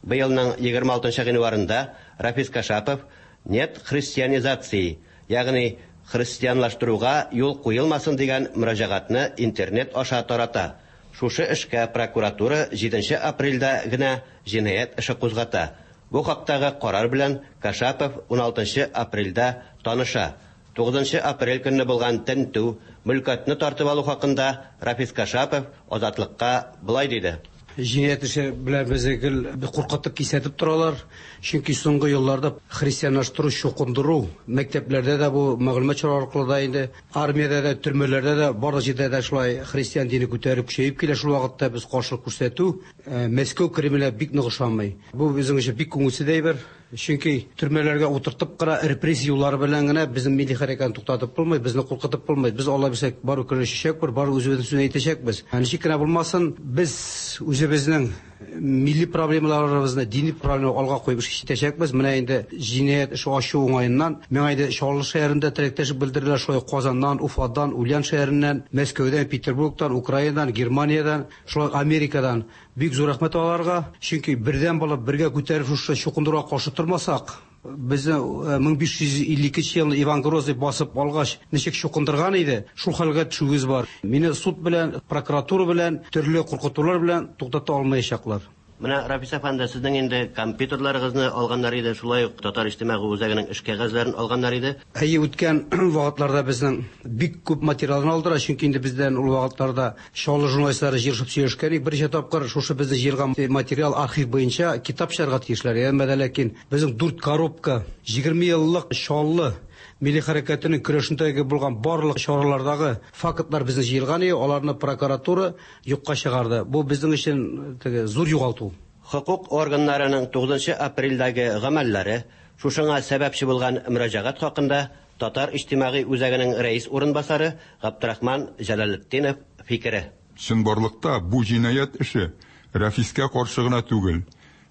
Speaker 19: Быелның 26 гыйнварында Рафис Кашапов Нет христианизации, ягъни христианлаштыруга юл куелмасын дигән мөрәҗәгатьне интернет аша тарата. Шушы эшкә прокуратура җиденче апрельдә генә җинаять эше кузгата. Бу хактагы карар белән Кашапов уналтынчы апрельдә таныша. Тугызынчы апрель көнне булган тентү, мөлкәтне тартып алу хакында Рафис Кашапов Азатлыкка болай диде.
Speaker 20: Җинаять эше белән безне гел куркытып, кисәтеп торалар. Чөнки соңгы елларда христианлаштыру, чукындыру мәктәпләрдә дә бу мәгълүмат чаралары аркылы да инде, армиядә дә, төрмәләрдә дә, барлык җирдә дә шулай христиан дине күтәрелеп көчәеп килә. Шул вакытта без каршылык күрсәтү Мәскәү Кремле бик нык ошамый. Бу безнең өчен бик күңелсез әйбер. Чөнки төрмәләргә утыртып кына, репрессия юллары белән генә безнең милли хәрәкәтне туктатып булмый, безне куркытып булмый. Без Алла бирсә, барыбер көрәшәчәкбез, барыбер үзебезнең сүзне әйтәчәкбез. Ничек кенә булмасын, без үзебезнең милли проблемаларыбызны, дини проблемаларны алга куеп эш итәчәкбез. Менә инде җинаять эше ачу уңаеннан миңа инде Чаллы шәһәрендә теләктәшлек белдерделәр, шулай ук Казаннан, Уфадан, Ульян шәһәреннән, Мәскәүдән, Петербургтан, Украинадан, Германиядән, шулай ук Америкадан. Бик зур рәхмәт аларга, чөнки бердәм булып, бергә күтәреп шушы чукындыруга каршы тормасак, безне 1552 елны Иван Грозный басып алгач, ничек чукындырган иде, шул хәлгә төшүебез бар. Мине суд белән, прокуратура белән, төрле куркытулар белән туктата алмаячаклар.
Speaker 19: Менә, Рафис әфәнде, сезнең инде компьютерларыгызны алганнар иде, шулай ук Татар иҗтимагый үзәгенең эш кәгазьләрен алганнар иде.
Speaker 20: Әйе, үткән вакытларда безнең бик күп материалны алдылар, чөнки инде бездән ул вакытларда Чаллы журналистлары җыелышып сөйләшкән идек. Берничә тапкыр шушы безнең җыелган материал архив буенча китап чыгарга тиешләр. Әмма дә ләкин безнең дүрт коробка 20 еллык Чаллы милли хәрәкәтенең көрәшендәге булган барлык чаралардагы фактлар безнең җыелган иде, аларны прокуратура юкка чыгарды. Бу безнең өчен теге зур югалту.
Speaker 19: Хокук органнарының 9 апрельдәге гамәлләре, шушыңа сәбәпче булган мөрәҗәгать хакында Татар иҗтимагый үзәгенең рәис урынбасары Габдрахман Җәләлетдинов фикере.
Speaker 21: Чынбарлыкта бу җинаять эше Рәфискә каршы гына түгел,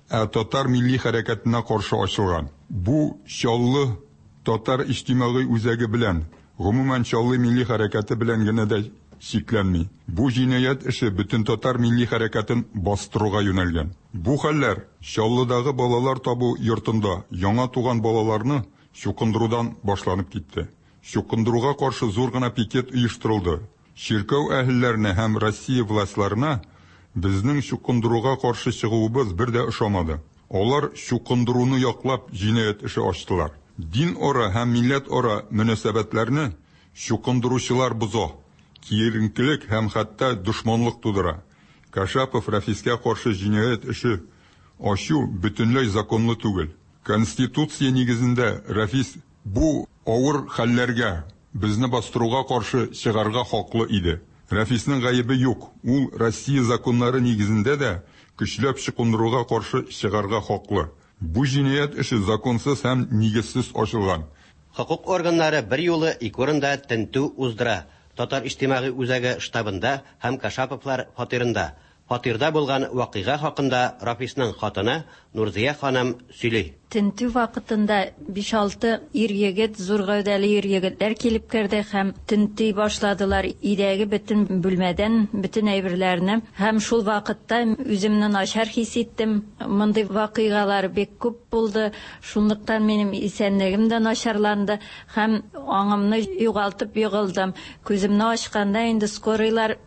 Speaker 21: ә татар милли хәрәкәтенә каршы ачылган. Бу Чаллы татар иҗтимагый үзәге белән, гомумән Чаллы милли хәрәкәте белән генә дә чикләнми. Бу җинаять эше бөтентатар милли хәрәкәтен бастыруга юнәлгән. Бу хәлләр Чаллыдагы балалар табу йортында яңа туган балаларны чукындырудан башланып китте. Чукындыруга каршы зур гына пикет оештырылды. Чиркәү әһелләренә һәм Россия властьларына безнең чукындыруга каршы чыгуыбыз бер дә ошамады. Алар чукындыруны яклап җинаять эше ачтылар. Дин-ара һәм милләт-ара мөнәсәбәтләрне чукындыручылар боза, киеренкелек һәм хәтта дошманлык тудыра. Кашапов Рәфискә каршы җинаять эше ачу бөтенләй законлы түгел. Конституция нигезендә Рәфис бу авыр хәлләргә, безне бастыруга каршы чыгарга хаклы иде. Рәфиснең гаебе юк, ул Россия законнары нигезендә дә көчләп чукындыруга каршы чыгарга хаклы. Бу җинаять эше законсыз һәм нигезсез ачылган.
Speaker 19: Хокук органнары берьюлы ике урында тентү уздыра, Татар иҗтимагый үзәге штабында һәм Кашаповлар фатирында. Фатирда булган вакыйга хакында Рафисның хатыны Нурзия ханым сөйли.
Speaker 22: Тентү вакытында биш-алты ир-егет, зур гәүдәле ир-егетләр килеп керде һәм тенти башладылар өйдәге бөтен бүлмәдән бөтен әйберләрне. Һәм шул вакытта үземне начар хис иттем. Мондый вакыйгалар бик күп булды. Шунлыктан минем исәнлегем дә начарланды һәм аңымны югалтып егылдым. Күземне ачканда инде скорыйлар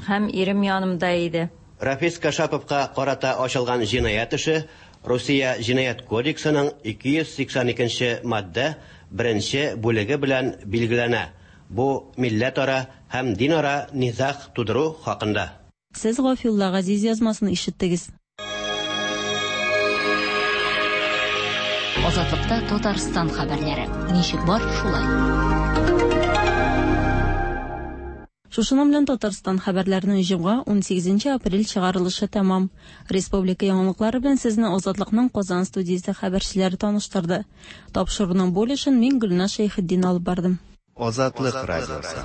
Speaker 22: һәм ирем янымда иде.
Speaker 19: Рафис Кашаповка карата ачылган җинаять эше Русия Җинаять кодексының 282 нче маддә беренче бүлеге белән билгеләнә, бу милләтара һәм динара низаг тудыру хакында.
Speaker 10: Сез Гафиулла Газиз язмасын ишеттегез.
Speaker 2: Азатлыкта Татарстан хәбәрләре. Ничек бар, шулай.
Speaker 10: Шушының белән Татарстан хәбәрләренең җомга, 18 апрель чыгарылышы тәмам. Республика яңалыклары белән сезне Азатлыкның Казан студиясе хәбәрчеләре таныштырды. Тапшыруның бу өлешен мин Гөлназ Шәйхетдин алып бардым.
Speaker 4: Азатлык радиосы.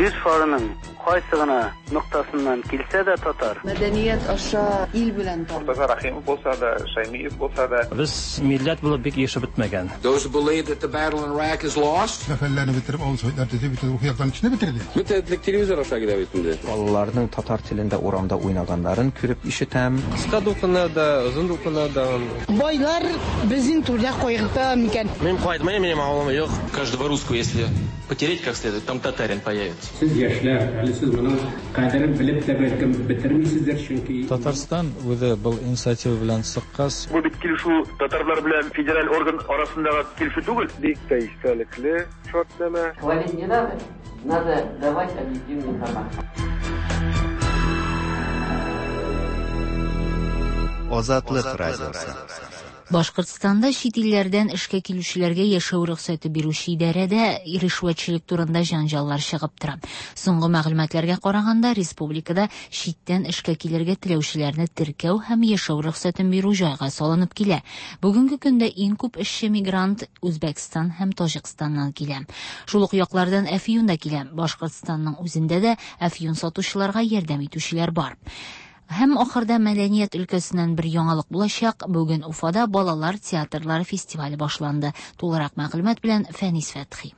Speaker 23: Җир шарының кайсы гына ноктасыннан килсә дә татар.
Speaker 24: Мәдәният аша ил белән таныш.
Speaker 25: Мортаза Рәхимов булса да, Шәймиев булса да.
Speaker 26: Без милләт булып бик ирешеп бетмәгән.
Speaker 27: Those who believe that the battle in Iraq is lost.
Speaker 28: Сәфәрләрне бетереп, авыл советлар төзеп, бөтен рухи яктан кешене бетерде.
Speaker 6: Бөтен телевизор аша килә бит инде.
Speaker 3: Балаларның татар телендә урамда уйнаганнарын күреп ишетәм.
Speaker 11: Кыска дулкыннарда, озын дулкыннарда.
Speaker 29: Байлар безнең турда кайгырта микән?
Speaker 11: Мин кайтмыйм, минем авылым юк.
Speaker 7: Каждого русского, если потереть как следует, там татарин появится.
Speaker 30: Сез яшьләр, әле сез моның кадерен белеп тә бәлкем бетермисездер, чөнки.
Speaker 31: Татарстан үзе был инициатива белән чыккач.
Speaker 32: Бу бит килешү татарлар белән федераль орган арасындагы килешү түгел.
Speaker 33: Бик тә истәлекле шартнамә.
Speaker 34: Хвалить не надо, надо давать объективную информацию.
Speaker 4: Азатлык радиосы.
Speaker 2: Башкортстанда чит илләрдән эшкә килүчеләргә яшәү рөхсәте бирүче идарәдә ришвәтчелек турында җәнҗаллар чыгып тора. Соңгы мәгълүматларга караганда, республикада читтән эшкә килергә теләүчеләрне теркәү һәм яшәү рөхсәтен бирү җайга салынып килә. Бүгенге көндә иң күп эшче мигрант Үзбәкстан һәм Таҗикстаннан килә. Шул ук яклардан әфьюн да килә. Башкортстанның үзендә дә әфьюн сатучыларга ярдәм итүчеләр бар. Һәм ахырда мәдәният өлкәсеннән бер яңалык булачак. Бүген Уфада балалар театрлары фестивале башланды. Тулырак мәгълүмат белән Фәнис Фәтхи.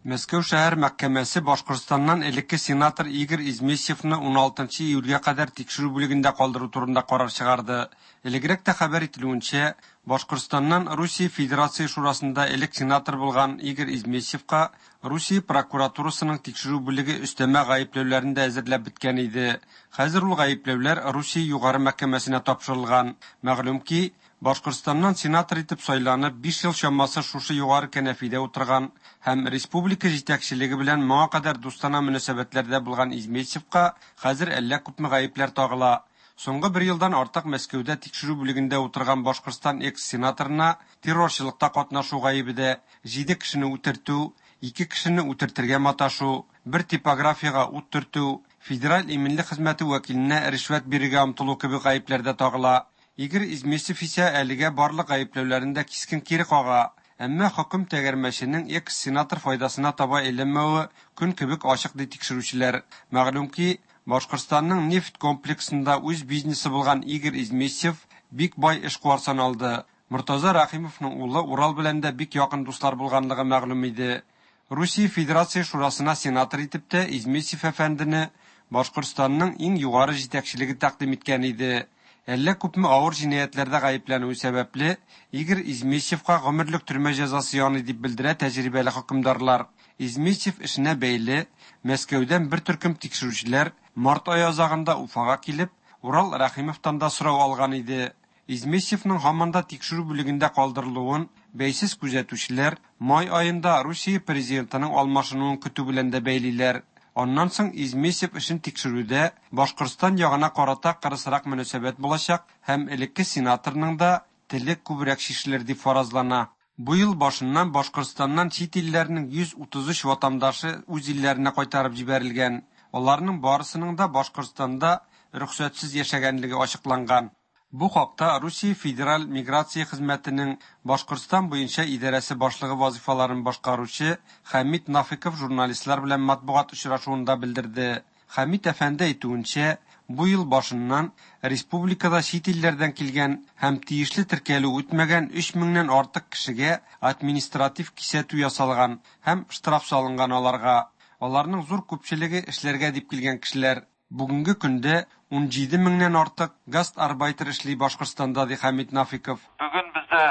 Speaker 35: Мәскәү шәһәр мәхкәмәсе Башкортстаннан элекке сенатор Игорь Измесьевны 16 июльгә кадәр тикшерү бүлегендә калдыру турында карар чыгарды. Элегрәк тә хәбәр ителүенчә, Башкортстаннан Русия Федерация Шурасында элек сенатор булган Игорь Измесьевка Русия прокуратурасының тикшерү бүлеге өстәмә гаепләүләрен дә әзерләп беткән иде. Хәзер ул гаепләүләр Русия Югары мәхкәмәсенә тапшырылган. Мәгълүм ки, Башкортстаннан сенатор итеп сайланып, 5 ел чамасы шушы югары кәнәфидә утырган һәм республика җитәкчелеге белән моңа кадәр дустана мөнәсәбәтләрдә булган Измесьевка хәзер әллә күпме гаепләр тагыла. Соңгы бер елдан артык Мәскәүдә тикшерү бүлегендә утырган Башкортстан экс-сенаторына террорчылыкта катнашу гаебе дә, җиде кешене үтертү, ике кешене үтертергә маташу, бер типографиягә ут төртү, Федераль иминлек хезмәте вәкиленә ришвәт бирергә омтылу кебек гаепләр дә тагыла. Игорь Измесьев исә әлегә барлык гаепләүләрен дә кискен кире кага. Әмма хөкем тәгәрмәченең экс-сенатор файдасына таба әйләнмәве көн кебек ачык, ди тикшерүчеләр. Мәгълүм ки, Башкортстанның нефть комплексында үз бизнесы булган Игорь Измесьев бик бай эшкуар саналды. Мортаза Рәхимовның улы Урал белән дә бик якын дуслар булганлыгы мәгълүм иде. Русия Федерация Шурасына сенатор итеп тә Измесьев әфәндене Башкортстанның иң югары җитәкчелеге тәкъдим иткән иде. Әллә күпме авыр җинаятьләрдә гаепләнүе сәбәпле, Игорь Измесьевка гомерлек төрмә җәзасы яный, дип белдерә тәҗрибәле хөкемдарлар. Измесьев эшенә бәйле, Мәскәүдән бер төркем тикшерүчеләр март ае азагында Уфага килеп, Урал Рәхимовтан да сорау алган иде. Измесьевның һаман да тикшерү бүлегендә калдырылуын бәйсез күзәтүчеләр май аенда Русия президентының алмашынуын көтү белән дә бәйлиләр. Аннан соң Измесьев эшен тикшерүдә Башкортстан ягына карата кырысрак мөнәсәбәт булачак һәм элекке сенаторның да теле күбрәк чишелер дип фаразлана. Бу ел башыннан Башкортстаннан чит илләрнең 133 ватандашы үз илләренә кайтарып җибәрелгән. Аларның барысының да Башкортстанда рөхсәтсез яшәгәнлеге ачыкланган. Бу хакта Русия Федераль миграция хезмәтенең Башкортстан буенча идарәсе башлыгы вазыйфаларын башкаручы Хәмит Нафиков журналистлар белән матбугат очрашуында белдерде. Хәмит әфәнде әйтүенчә, бу ел башыннан республикада чит илләрдән килгән һәм тиешле теркәлү үтмәгән 3 меңнән артык кешегә административ кисәтү ясалган һәм штраф салынган аларга. Аларның зур күпчелеге эшләргә дип килгән кешеләр. Бүгенге көндә 17 меңнән артык гастарбайтер эшли Башкортстанда, ди Хәмит Нафиков.
Speaker 1: Бүген бездә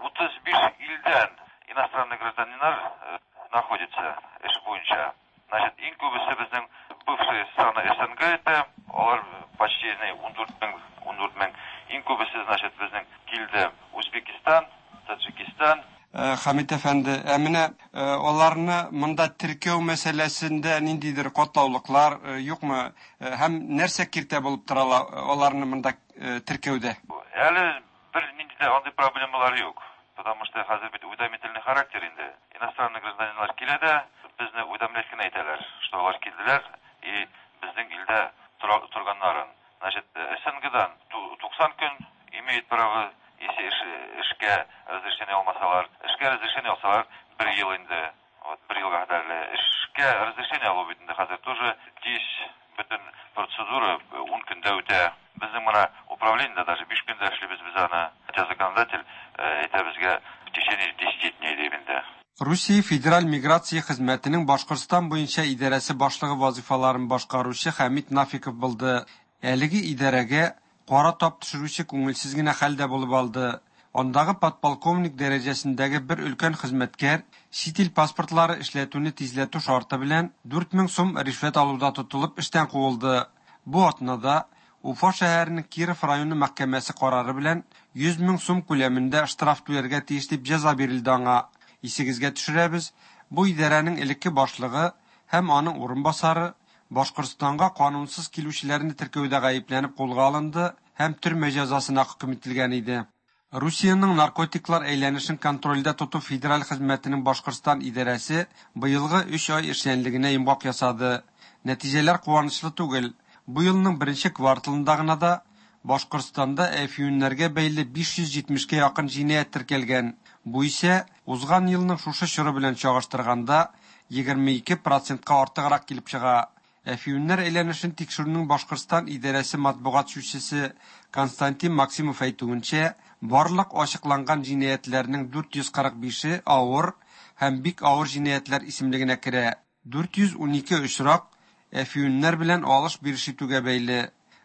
Speaker 1: 35 илдән иностранный гражданиннар находится эш буенча. Значит, иң күбесе безнең бывшие страны СНГ это, алар почти 14 мең, 14 мең. Иң күбесе, значит, безнең килде Узбекистан, Таджикистан.
Speaker 35: Хәмит әфәнде, ә менә аларны монда теркәү мәсьәләсендә ниндидер катлаулыклар юкмы? Һәм нәрсә киртә булып тора аларны монда теркәүдә?
Speaker 1: Әле бер нинди дә андый проблемалар юк. Потому что хәзер бит уведомительный характер инде. Иностранный гражданиннар килә дә, безне уведомлять кенә итәләр, что алар килделәр и безнең илдә торганнарын. Значит, СНГдан 90 көн имеет право, если эшкә разрешение алмасалар. Эшкә разрешение алсалар, бер ел инде. Вот, бер елга кадәрле. Эшкә разрешение алу бит инде хәзер тоже тиз, бөтен процедура 10 көндә үтә. Безнең менә управлениедә даже 5 көндә эшлибез без аны. Хотя законодатель әйтә безгә в течение 10 дней дип инде.
Speaker 35: Русия Федераль миграция хезмәтенең Башкортстан буенча идарәсе башлыгы вазыйфаларын башкаручы Хәмит Нафиков булды. Әлеге идарәгә кара тап төшерүче күңелсез генә хәл дә булып алды. Андагы подполковник дәрәҗәсендәге бер өлкән хезмәткәр чит ил паспортлары эшләтүне тизләтү шарты белән 4000 сум ришвәт алуда тотылып эштән куылды. Бу атнада Уфа шәһәренең Киров районы мәхкәмәсе карары белән 100 мең сум күләмендә штраф түләргә тиеш дип җәза бирелде аңа. Исегезгә төшерәбез, бу идарәнең элекке башлыгы һәм аның урынбасары Башкортстанга канунсыз килүчеләрне теркәүдә гаепләнеп кулга алынды һәм төрмә җәзасына хөкем ителгән иде. Русиянең наркотиклар әйләнешен контрольдә тоту федераль хезмәтенең Башкортстан идарәсе быелгы 3 ай эшчәнлегенә йомгак ясады. Нәтиҗәләр куанычлы түгел. Бу елның беренче кварталында гына да Башкортстанда әфьюннәргә бәйле 570-кә якын җинаять теркәлгән. Бу исә узган елның шушы чоры белән чагыштырганда 22 процентка артыграк килеп чыга. Әфьюннәр әйләнешен тикшерүнең Башкортстан идарәсе матбугат сүзчесе Константин Максимов әйтүенчә, барлык ачыкланган җинаятьләрнең 445-е авыр һәм бик авыр җинаятьләр исемлегенә керә. 412 очрак әфьюннәр белән алыш-биреш итүгә бәйле.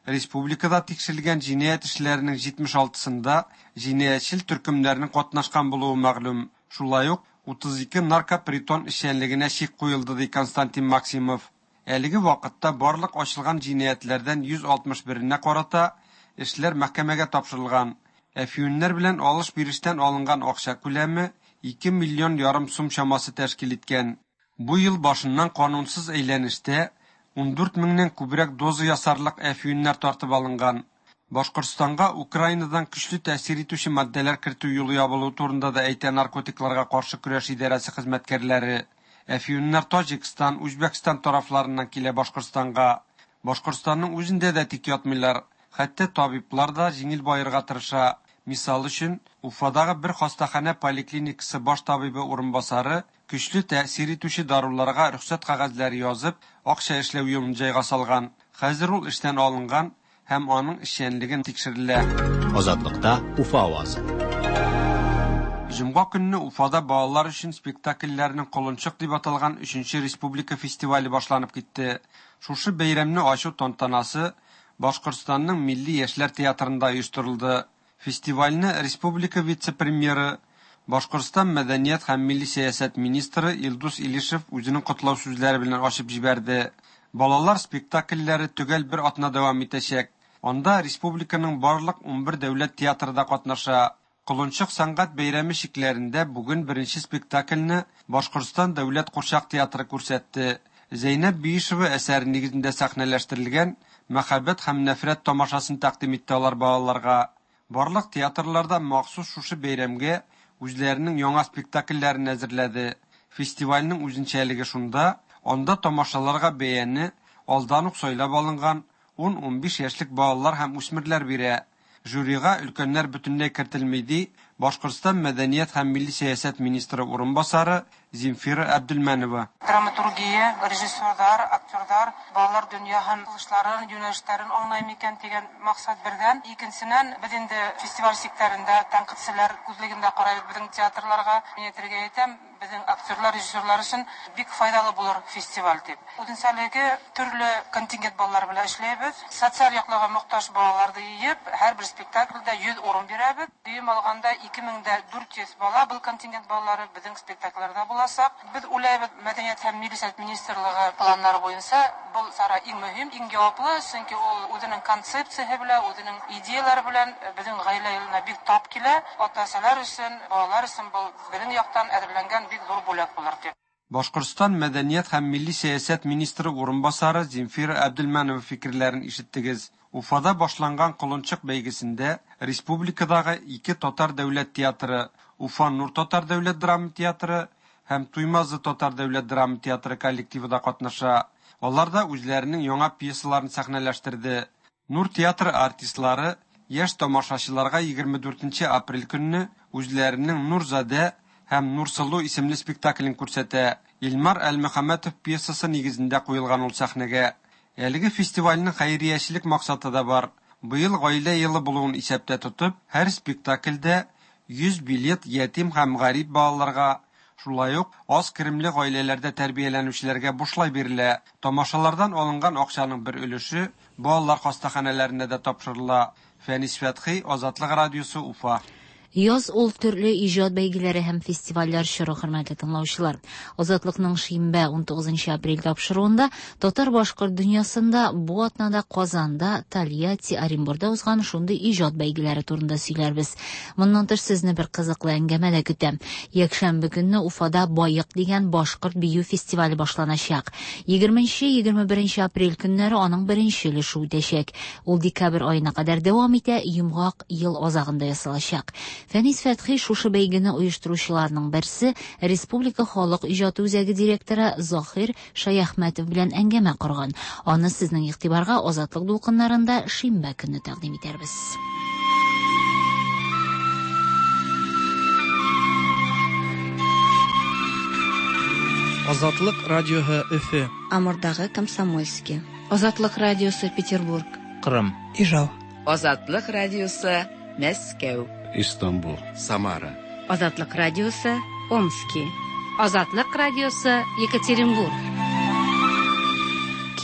Speaker 35: Республикада тикшерелгән җинаять эшләренең 76-сында җинаятьчел төркемнәрнең катнашкан булуы мәгълүм. Шулай ук 32 наркопритон эшчәнлегенә чик куелды, ди Константин Максимов. Әлеге вакытта барлык ачылган җинаятьләрдән 161-енә карата эшләр мәхкәмәгә тапшырылган. Әфьюннәр белән алыш-бирештән алынган акча күләме 2 миллион ярым сум чамасы тәшкил иткән. Бу ел башыннан канунсыз әйләнештә 14 меңнән күбрәк доза ясарлык әфьюннәр тартып алынган. Башкортстанга Украинадан көчле тәэсир итүче матдәләр кертү юлы ябылуы турында да әйтә наркотикларга каршы көрәш идарәсе хезмәткәрләре. Әфьюннәр Таҗикстан, Үзбәкстан тарафларыннан килә Башкортстанга. Башкортстанның үзендә дә тик ятмыйлар. Хәтта табиблар да җиңел баерга тырыша. Мисал өчен, Уфадагы бер хастаханә поликлиникасы баш табибы урынбасары көчле тәэсир итүче даруларга рөхсәт кәгазьләре язып, акча эшләү юлын җайга салган. Хәзер ул эштән алынган һәм аның эшчәнлеге тикшерелә.
Speaker 5: Азатлыкта Уфа авазы.
Speaker 35: Җомга көнне Уфада балалар өчен спектакльләрнең Колынчык дип аталган өченче республика фестивале башланып китте. Шушы бәйрәмне ачу тантанасы Башкортстанның Милли яшьләр театрында оештырылды. Фестивальне республика вице-премьеры, Башкортстан мәдәният һәм милли сәясәт министры Илдус Илишев үзенең котлау сүзләре белән ачып җибәрде. Балалар спектакльләре төгәл бер атна дәвам итәчәк. Анда республиканың барлык 11 дәүләт театры да катнаша. Колынчык сәнгать бәйрәме чикләрендә бүген беренче спектакльне Башкортстан дәүләт курчак театры күрсәтте. Зәйнәб Биишева әсәре нигезендә сәхнәләштерелгән Мәхәббәт һәм нәфрәт тамашасын тәкъдим итте алар балаларга. Барлык театрлар да махсус шушы бәйрәмгә үзләренең яңа спектакльләрен әзерләде. Фестивальнең үзенчәлеге шунда, анда тамашаларга бәяне алдан ук сайлап алынган 10-15 яшьлек балалар һәм үсмерләр бирә. Жюрига өлкәннәр бөтенләй кертелми, ди Башкортстан мәдәният һәм милли сәясәт министры урынбасары Земфира Әбделмәнова.
Speaker 8: Драматургия, режиссерлар, актерлар, балалар дөнья һәм кылышларын, юнәлешләрен аңлай микән дигән максат бердән. Икенченнән, без инде фестиваль чикләрендә тәнкыйтьчеләр күзлегендә карайбыз безнең театрларга. Мин әйтергә әйтәм, безнең актерлар, режиссерлар өчен бик файдалы булыр фестиваль дип. Үзенчәлеге төрле контингент балалар белән эшләйбез. Социаль яклауга мохтаҗ балаларны йыйып, һәрбер спектакльдә 100 урын бирәбез. Дөем алганда 2400 бала был контингент балалары безнең спектакльләрдә булачак. Без уйлайбыз, мәдәният һәм милли сәясәт министрлыгы планнары буенча был чара иң мөһим, иң җаваплы, чөнки ул үзенең концепциясе белән, үзенең идеялары белән безнең гаилә елына бик тап килә. Ата-әсәләр өчен, балалар өчен был безнең яктан әзерләнгән бик зур бүләк булыр дип.
Speaker 35: Башкортстан мәдәният һәм милли сәясәт министры урынбасары Земфира Әбделмәнова фикерләрен ишеттегез. Уфада башланган Колынчык бәйгесендә республикадагы ике татар дәүләт театры, Уфа Нур татар дәүләт драма театры һәм Туймазы татар дәүләт драма театры коллективы да катнаша. Алар да үзләренең яңа пьесаларын сәхнәләштерде. Нур театры артистлары яшь тамашачыларга 24 апрель көнне үзләренең Нурзадә һәм Нурсылу исемле спектаклен күрсәтә. Илмар Әлмөхәммәтов пьесасы нигезендә куелган ул сәхнәгә. Әлеге фестивальнең хәйриячелек максаты да бар. Быел гаилә елы булуын исәптә тотып, һәр спектакльдә 100 билет ятим һәм гарип балаларга, шулай ук аз керемле гаиләләрдә тәрбияләнүчеләргә бушлай бирелә. Тамашалардан алынган акчаның бер өлеше балалар хастаханәләренә дә тапшырыла. Фәнис Фәтхи, Азатлык радиосы, Уфа.
Speaker 2: Яз ул төрле иҗат бәйгеләре һәм фестивальләр чоры, хөрмәтле тыңлаучылар. Азатлыкның шимбә 19 апрель тапшыруында татар-башкорт дөньясында бу атнада Казанда, Тольятти, Оренбурда узган шундый иҗат бәйгеләре турында сөйләрбез. Моннан тыш сезне бер кызыклы әңгәмә дә көтә. Якшәмбе көнне Уфада Байык дигән башкорт бию фестивале башланачак. 20-21 апрель көннәре аның беренче өлеше үтәчәк. Ул декабрь аена кадәр дәвам итә, йомгак ел азагында ясалачак. Фәнис Фәтхи шушы бәйгене оештыручыларның берсе, Республика халык иҗаты үзәге директоры Заһир Шаяхмәтов белән әңгәмә корган. Аны сезнең игътибарга Азатлык дулкыннарында шимбә көнне тәкъдим итәрбез.
Speaker 9: Азатлык радиоһы Өфе.
Speaker 24: Амурдагы Комсомольский. Азатлык радиосы Петербург.
Speaker 9: Кырым.
Speaker 10: Ижау.
Speaker 12: Азатлык радиосы Мәскәү.
Speaker 13: Истанбул. Самара.
Speaker 14: Азатлык радиосы Омски.
Speaker 15: Азатлык радиосы Екатеринбург.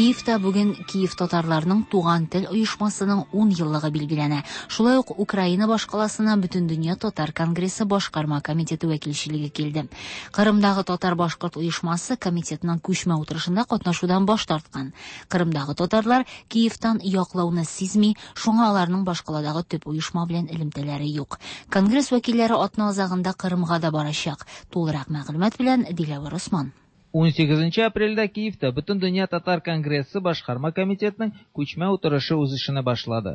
Speaker 2: Киевта бүген Киев татарларының Туган тел оешмасының 10 еллыгы билгеләнә. Шулай ук Украина башкаласына Бөтендөнья татар конгрессы башкарма комитеты вәкилчелеге килде. Кырымдагы татар-башкорт оешмасы комитетның күчмә утырышында катнашудан баш тарткан. Кырымдагы татарлар Киевтан яклауны сизми, шуңа аларның башкаладагы төп оешма белән элемтәләре юк. Конгресс вәкилләре атна азагында Кырымга да барачак. Тулырак мәгълүмат белән Диләвәр Осман.
Speaker 9: 18 апрельдә Киевта Бөтендөнья татар конгрессы башкарма комитетының күчмә утырышы үз эшенә башлады.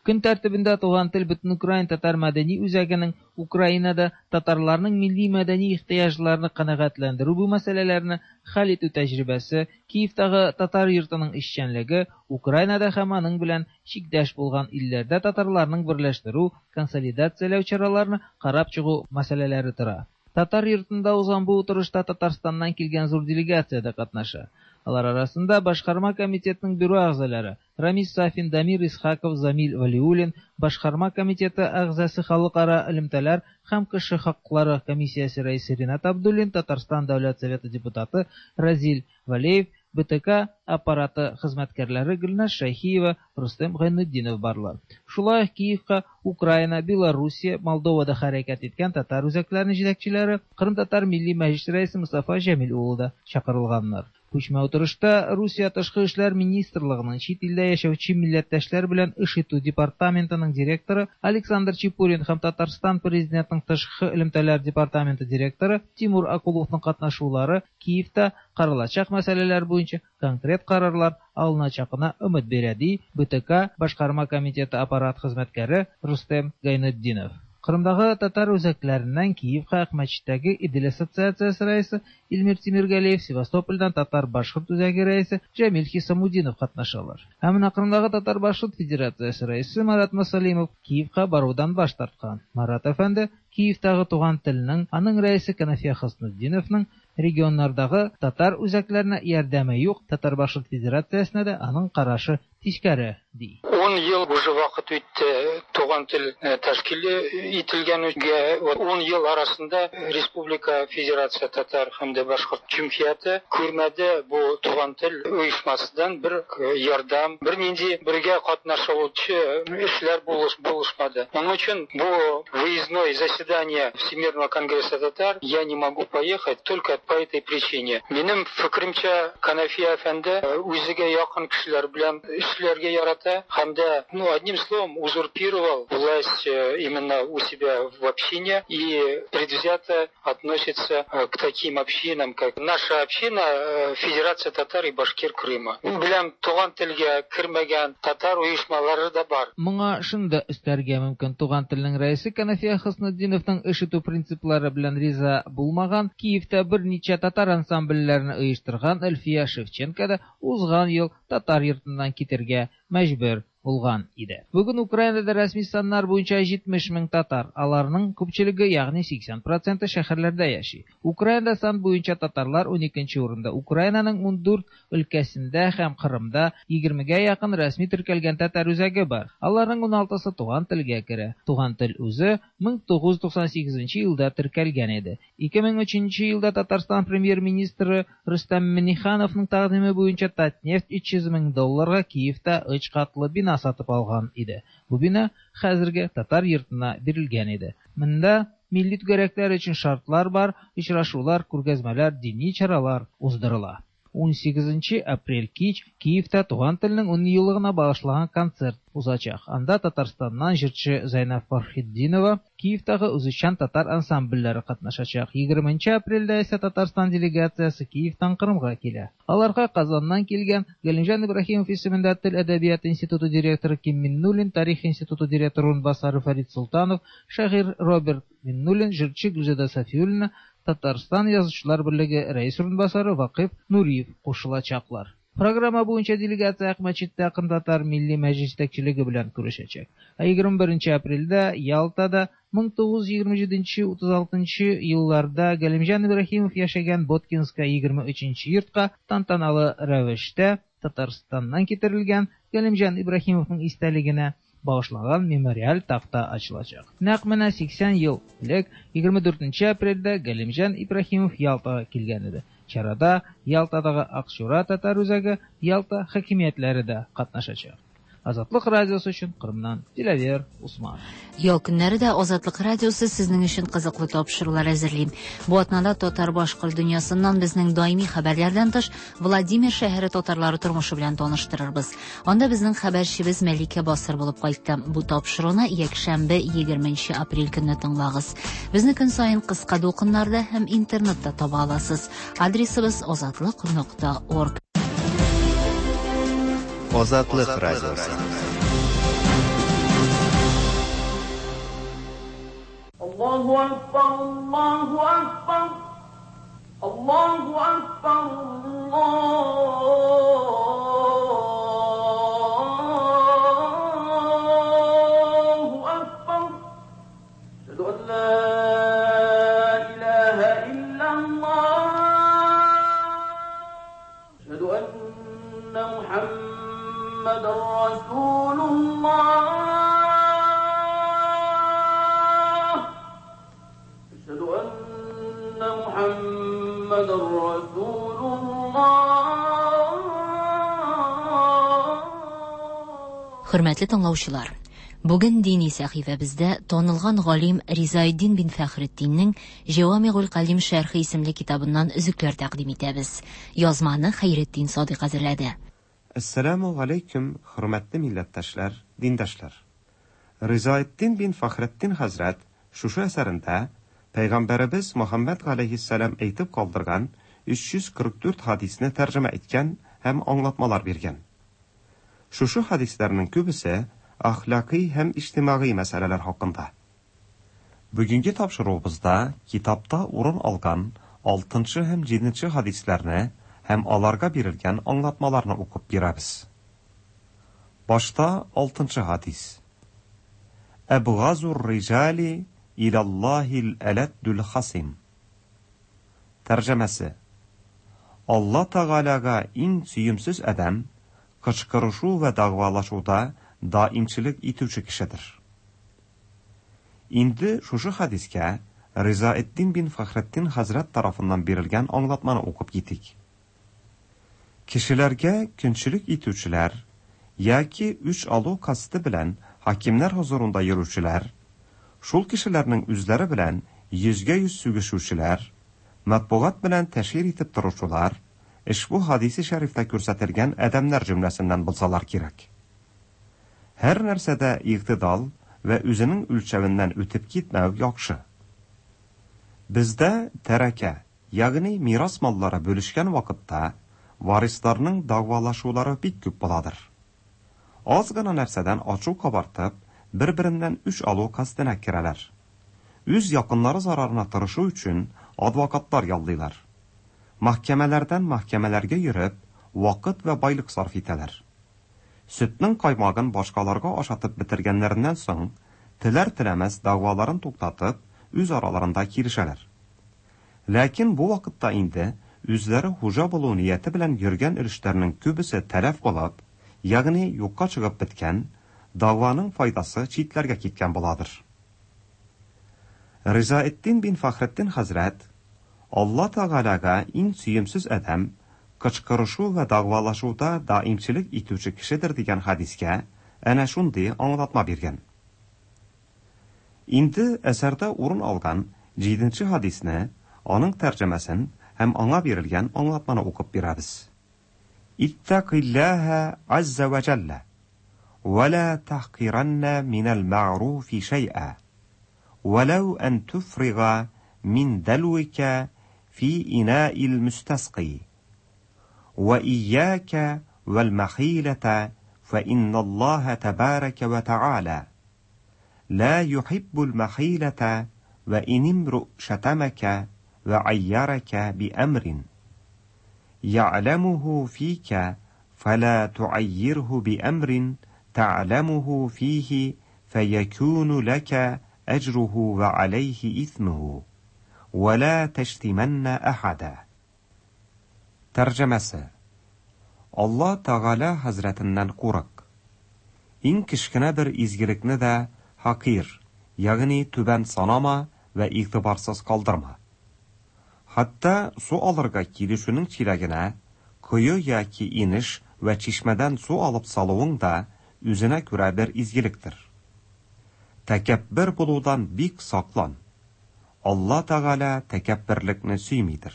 Speaker 9: Көн тәртибендә Туган тел Бөтенукраин татар мәдәни үзәгенең Украинада татарларның милли-мәдәни ихтыяҗларны канәгатьләндерү бу мәсьәләләрне хәл итү тәҗрибәсе, Киевтагы татар йортының эшчәнлеге, Украинада һәм аның белән чиктәш булган илләрдә татарларның берләштерү, консолидацияләү чараларны карап чыгу мәсьәләләре тора. Татар йортында узган бу утырышта Татарстаннан килгән зур делегация дә катнаша. Алар арасында башкарма комитетның бюро әгъзалары Рамис Сафин, Дамир Исхаков, Замил Вәлиуллин, башкарма комитеты әгъзасы халыкара элемтәләр һәм кеше хакклары комиссиясе рәисе Ринат Абдуллин, Татарстан Дәүләт Советы депутаты Разил Вәлиев, БТК аппараты хезмәткәрләре Гөлназ Шәйхиева, Рөстәм Гайнетдинов барлар. Шулай ук Киевка Украина, Белоруссия, Молдовада хәрәкәт иткән татар үзәкләренең җитәкчеләре, Кырым татар милли мәҗлесе рәисе Мостафа Җәмил улы да чакырылганнар. Күчмә утырышта Русия тышкы эшләр министрлыгының чит илдә яшәүче милләттәшләр белән эш итү департаментының директоры Александр Чепурин һәм Татарстан президентының тышкы элемтәләр департаменты директоры Тимур Акуловның катнашулары Киевта каралачак мәсьәләләр буенча конкрет карарлар алыначагына өмет бирә, ди БТК башкарма комитеты аппарат хезмәткәре Рустем Гайнетдинов. Кырымдагы татар үзәкләреннән Киевка Акмәчеттәге Идел ассоциациясе рәисе Илмир Тимиргалиев, Севастопольдән татар-башкорт үзәге рәисе Җәмил Хисамутдинов катнашалар. Ә менә Кырымдагы татар-башкорт федерациясе рәисе Марат Масалимов Киевка барудан баш тарткан. Марат әфәнде Киевтагы Туган телнең, аның рәисе Канәфия Хөснетдиновның регионнардагы татар үзәкләренә ярдәме юк, татар-башкорт федерациясенә дә аның карашы тискәре, ди.
Speaker 10: 10 ел уже вакыт үтте Туган тел тәшкил ителгәнгә. 10 ел арасында Республика Федерация татар һәм дә башкорт җөмһүрияте күрмәде бу Туган тел оешмасыдан бер ярдәм, бер нинди бергә катнашучы эшләр булышмады. Моның өчен бу выездное заседание Всемирного конгресса татар я не могу поехать только по этой причине. Минем фикеремчә, Канәфия әфәнде үзегә якын кешеләр белән эшләргә ярата һәм дә, ну, одним словом, узурпировал власть именно у себя в общине и предвзято относится к таким общинам, как наша община Федерация татар и башкир Крыма. Беләм, Туган телгә кермәгән татар оешмалары да бар.
Speaker 9: Моңа шуны да өстәргә мөмкин: Туган телнең рәисе Канәфия Хөснетдиновның эш итү принциплары белән риза булмаган, Киевта берничә татар ансамбльләрен оештырган Әлфия Шевченко да узган ел татар йортыннан китергә мәҗбүр булган иде. Бүген Украинада рәсми саннар буенча 70 мең татар, аларның күпчелеге, ягъни 80% шәһәрләрдә яши. Украинада сан буенча татарлар 12 урында. Украинаның 14 өлкәсендә һәм Кырымда 20гә якын рәсми теркәлгән татар үзәге бар. Аларның 16сы Туган телгә керә. Туган тел үзе 1998 елда теркәлгән иде. 2003 елда Татарстан премьер-министры Рөстәм Миңнехановның тәкъдиме буенча Татнефть 300 мең долларга Киевта өч катлы бина сатып алган иде. Бу бина хәзерге татар йортына бирелгән иде. Монда милли түгәрәкләр өчен шартлар бар, очрашулар, күргәзмәләр, дини чаралар уздырыла. 18 апрель кич Киевта Туган телнең 10 еллыгына багышланган концерт узачак. Анда Татарстаннан җырчы Зәйнәб Фәрхетдинова, Киевтагы үзешчән татар ансамбльләре катнашачак. 20 апрельдә исә Татарстан делегациясе Киевтан Кырымга килә. Аларга Казаннан килгән Галимҗан Ибраһимов исемендә Тел әдәбияты институты директоры Ким Миннуллин, Тарих институты директоры урынбасары Фәрид Солтанов, шагыйрь Роберт Миннуллин, җырчы Гөлзада Сафиуллина, Татарстан Язучылар берлеге рәис урынбасары Вакыйф Нуриев кушылачаклар. Программа буенча делегация Акмәчеттә Кырым Милли Мәҗлес җитәкчелеге белән күрешәчәк. Ә 21 апрельдә Ялтада 1927-36 елларда Галимҗан Ибраһимов яшәгән Боткинская 23 йортка тантаналы рәвештә Татарстаннан китерелгән Галимҗан Ибраһимовның истәлегенә багышланган мемориаль такта ачылачак. Нәкъ менә 80 ел элек 24 апрельдә Галимҗан Ибраһимов Ялтага килгән иде. Чарада Ялтадагы Акчура татар үзәге, Ялта хакимиятләре дә катнашачак. Азатлык радиосы өчен Кырымнан Диләвер Усман.
Speaker 2: Ял көннәре дә Азатлык радиосы сезнең өчен кызыклы тапшырулар әзерли. Бу атнада татар-башкорт дөньясыннан безнең даими хәбәрләрдән тыш Владимир шәһәре татарлары тормышы белән таныштырырбыз. Анда безнең хәбәрчебез Мәликә Басыр булып кайтты. Бу тапшыруны якшәмбе 20 апрель көнне тыңлагыз. Безне көн саен кыска дулкыннарда һәм интернетта таба аласыз. Адресыбыз азатлык.орг.
Speaker 4: Азатлык радиосы.
Speaker 3: Аллаһу акбар, Аллаһу акбар, Аллаһу акбар, Аллаһу акбар. Әшһәду ан ла илаһа иллаллаһ. Әшһәду анна Мухаммадан расулуллаһ. Әшһәду анна Мухаммадан расулуллаһ.
Speaker 2: Хөрмәтле тыңлаучылар, бүген дини сәхифәбездә танылган галим Ризаэддин бин Фәхретдиннең Җәвамигуль Калим шәрхе исемле китабыннан өзекләр тәкъдим итәбез. Язманы Хәйретдин Садыйк әзерләде.
Speaker 6: Әссәламү галәйкүм, хөрмәтле милләттәшләр, диндәшләр! Ризаэддин бин Фәхретдин хәзрәт шушы әсәрендә Пәйгамбәребез Мөхәммәд галәйһиссәлам әйтеп калдырган 344 хадисне тәрҗемә иткән һәм аңлатмалар биргән. Шушы хадисләрнең күбесе әхлакый һәм иҗтимагый мәсьәләләр хакында. Бүгенге тапшыруыбызда китапта урын алган алтынчы һәм җиденче хадисләрне һәм аларга бирелгән аңлатмаларны укып бирәбез. Башта алтынчы хадис. Әбгазур риҗали илаллаһил әләддүл хасим. Тәрҗемәсе. Алла Тәгаләгә иң сөемсез адәм кычкырышу вә дәгъвалашуда даимчелек итүче кешедер. Инде шушы хадискә Ризаэддин бин Фәхретдин хәзрәт тарафыннан бирелгән аңлатманы укып китик. Кешеләргә көнчелек итүчеләр яки үч алу касты белән хакимнәр хозурында йөрүчеләр, шул кешеләрнең үзләре белән йөзгә-йөз сүгешүчеләр, матбугат белән тәшһир итеп торучылар ошбу хадисе шәрифтә күрсәтелгән адәмнәр җөмләсеннән булсалар кирәк. Һәр нәрсәдә игътидал вә үзенең үлчәвеннән үтеп китмәү яхшы. Бездә тәрәкә, ягъни мирас маллары бүлешкән вакытта варисларның дәгъвалашулары бик күп буладыр. Аз гына нәрсәдән ачу кабартып, бер-береннән үч алу кастына керәләр. Үз якыннары зарарына тырышу өчен адвокатлар яллыйлар. Мәхкәмәләрдән мәхкәмәләргә йөреп, вакыт вә байлык сарыф итәләр. Сөтнең каймагын башкаларга ашатып бетергәннәреннән соң, теләр-теләмәс дәгъваларын туктатып, үз араларында килешәләр. Ләкин бу вакытта инде үзләре хуҗа булу нияте белән йөргән өлешләрнең күбесе тәләф булып, ягъни юкка чыгып беткән, дәгъваның файдасы читләргә киткән буладыр. Ризаэддин бин Фәхретдин хәзрәт, Алла Тәгаләгә иң сөемсез адәм кычкырышу вә дәгъвалашуда даимчелек итүче кешедер дигән хәдискә әнә шундый аңлатма биргән. Инде әсәрдә урын алган җиденче хәдисне, аның тәрҗемәсен һәм аңа бирелгән аңлатманы укып бирәбез. Иттакиллаһа азза вә җәллә, вә ла тахкиранна минәл мәгъруфи шәй'a, вәләү ән туфрига мин дәлвика фи инаил мөстәскый. Вә ияка вәл мәхиләтә фә инналлаһа тәбәрәкә вә тәгалә لا يحب المخيلة وإن امرؤ شتمك وعيرك بأمر يعلمه فيك فلا تعيره بأمر تعلمه فيه فيكون لك أجره وعليه إثمه ولا تشتمن أحدا. Тәрҗемәсе. Алла Тәгалә хәзрәтеннән курык. Иң кечкенә бер изгелекне дә хакир, ягъни түбән санама вә игътибарсыз калдырма. Хәтта су алырга килүченең чиләгенә кое яки инеш вә чишмәдән су алып салуың да үзенә күрә бер изгелектер. Тәкәббер булудан бик саклан. Алла Тәгалә тәкәбберлекне сөймидер.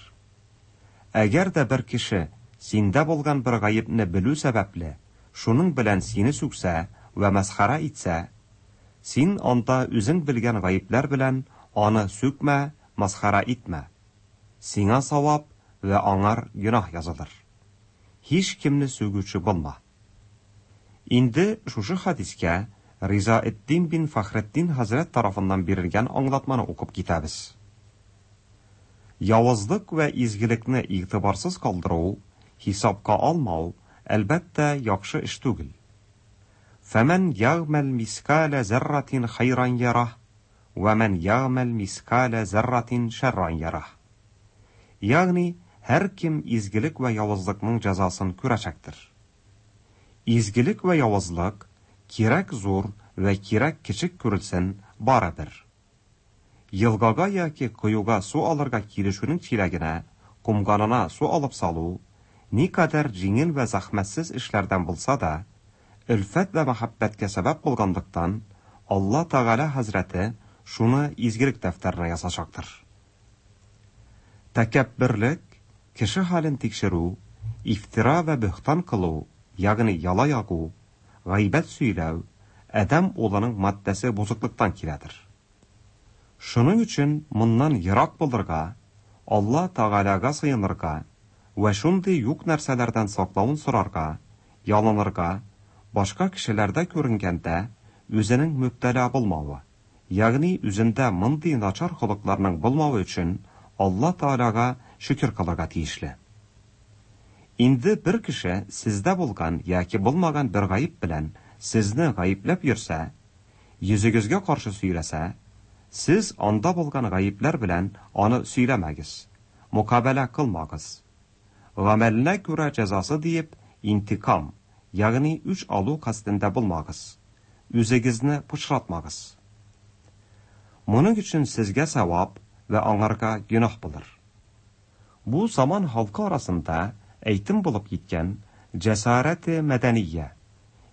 Speaker 6: Әгәр дә бер кеше синдә булган бер гаепне белү сәбәпле, шуның белән сине сүксә вә мәсхәрә итсә, син анда үзең белгән гаепләр белән аны сүкмә, масхара итмә. Сиңа савап вә аңар гөнаһ язылыр. Һичкемне сүгүче булма. Инде шушы хәдискә Ризаэтдин бин Фәхретдин хәзрәт тарафыннан бирелгән аңлатманы укып китәбез. Явызлык вә изгелекне игътибарсыз калдыру, хисапка алмау, әлбәттә, яхшы эш түгел. Фәмән ягъмәл мискалә зәрратин хәйран ярah, вә мән ягъмәл мискалә зәрратин шәрран ярah. Ягъни, һәркем изгелек вә явызлыкның җәзасын күрәчәктер. Изгелек вә явызлык, кирәк зур вә кирәк кечек күрелсен, барыбер. Елгага яки коега су алырга килүченең чиләгенә, комганына су алып салу, никадәр җиңел вә зәхмәтсез эшләрдән булса да, өлфәт вә мәхәббәткә сәбәп булганлыктан, Алла Тәгалә хәзрәте шуны изгелек дәфтәренә язачактыр. Тәкәбберлек, кеше хәлен тикшерү, ифтира вә бөһтан кылу, ягъни яла ягу, гайбәт сөйләү, адәм улының матдәсе бозыклыктан киләдер. Шуның өчен моннан ерак булырга, Алла Тәгаләгә сыенырга вә шундый юк нәрсәләрдән саклавын сорарга, ялынырга, башка кешеләрдә күренгәндә үзенең мөбтәла булмавы, ягъни үзендә мондый начар холыкларның булмавы өчен Алла Тәгаләгә шөкер кылырга тиешле. Инде бер кеше сездә булган яки булмаган бер гаеп белән сезне гаепләп йөрсә, йөзегезгә каршы сөйләсә, сез анда булган гаепләр белән аны сөйләмәгез, мокабәлә кылмагыз. Гамәленә күрә җәзасы диеп, интикам, ягъни үч алу касдендә булмагыз. Үзегезне пычратмагыз. Моның өчен сезгә савап вә аңарга гөнаһ булыр. Бу заман халкы арасында әйтем булып киткән җәсарәте мәдәния,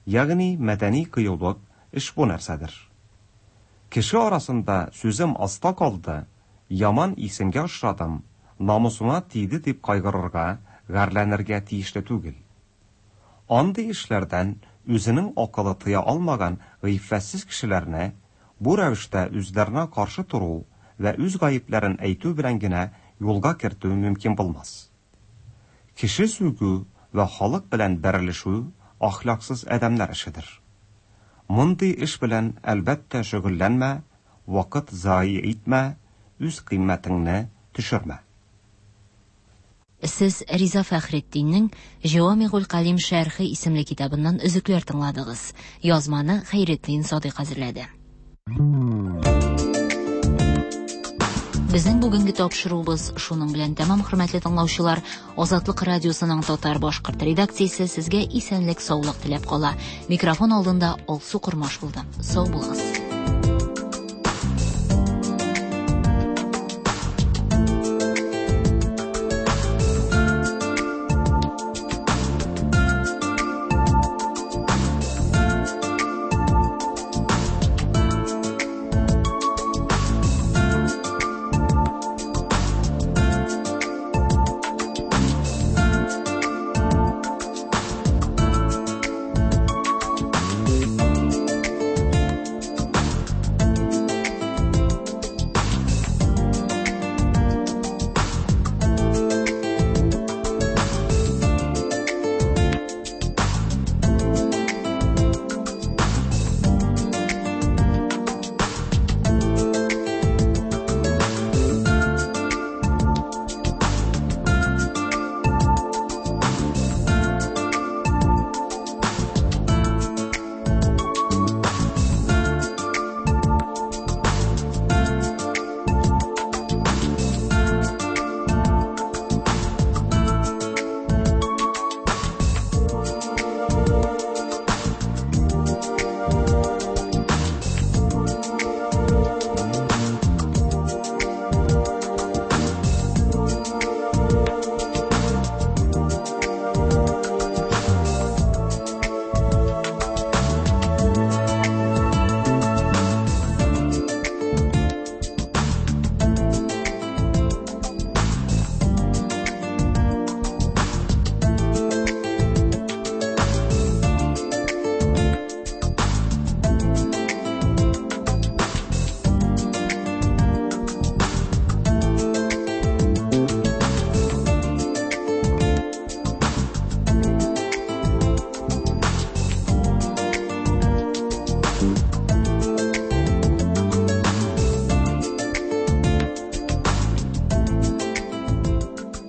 Speaker 6: ягъни мәдәни кыюлык ошбу нәрсәдер. Кеше арасында сүзем аста калды, яман исемгә очрадым, намусыма тиде дип кайгырырга, гарьләнергә тиешле түгел. Андый эшләрдән үзенең акылы тыя алмаган гыйффәтсез кешеләрне бу рәвештә үзләренә каршы тору вә үз гаепләрен әйтү белән генә юлга кертү мөмкин булмас. Кеше сүгү вә халык белән бәрелешү әхлаксыз адәмнәр эшедер. Мондый эш белән, әлбәттә, шөгыльләнмә, вакыт зая итмә, үз кыйммәтеңне төшермә.
Speaker 2: Сез Риза Фәхретдиннең Җәвамигуль Калим шәрхе исемле китабыннан өзекләр тыңладыгыз. Язманы Хәйретдин Садыйк әзерләде. Безнең бүгенге тапшыруыбыз шуның белән тәмам, хөрмәтле тыңлаучылар. Азатлык радиосының татар-башкорт редакциясе сезгә исәнлек-саулык теләп кала. Микрофон алдында Алсу Кормаш булды. Сау булыгыз.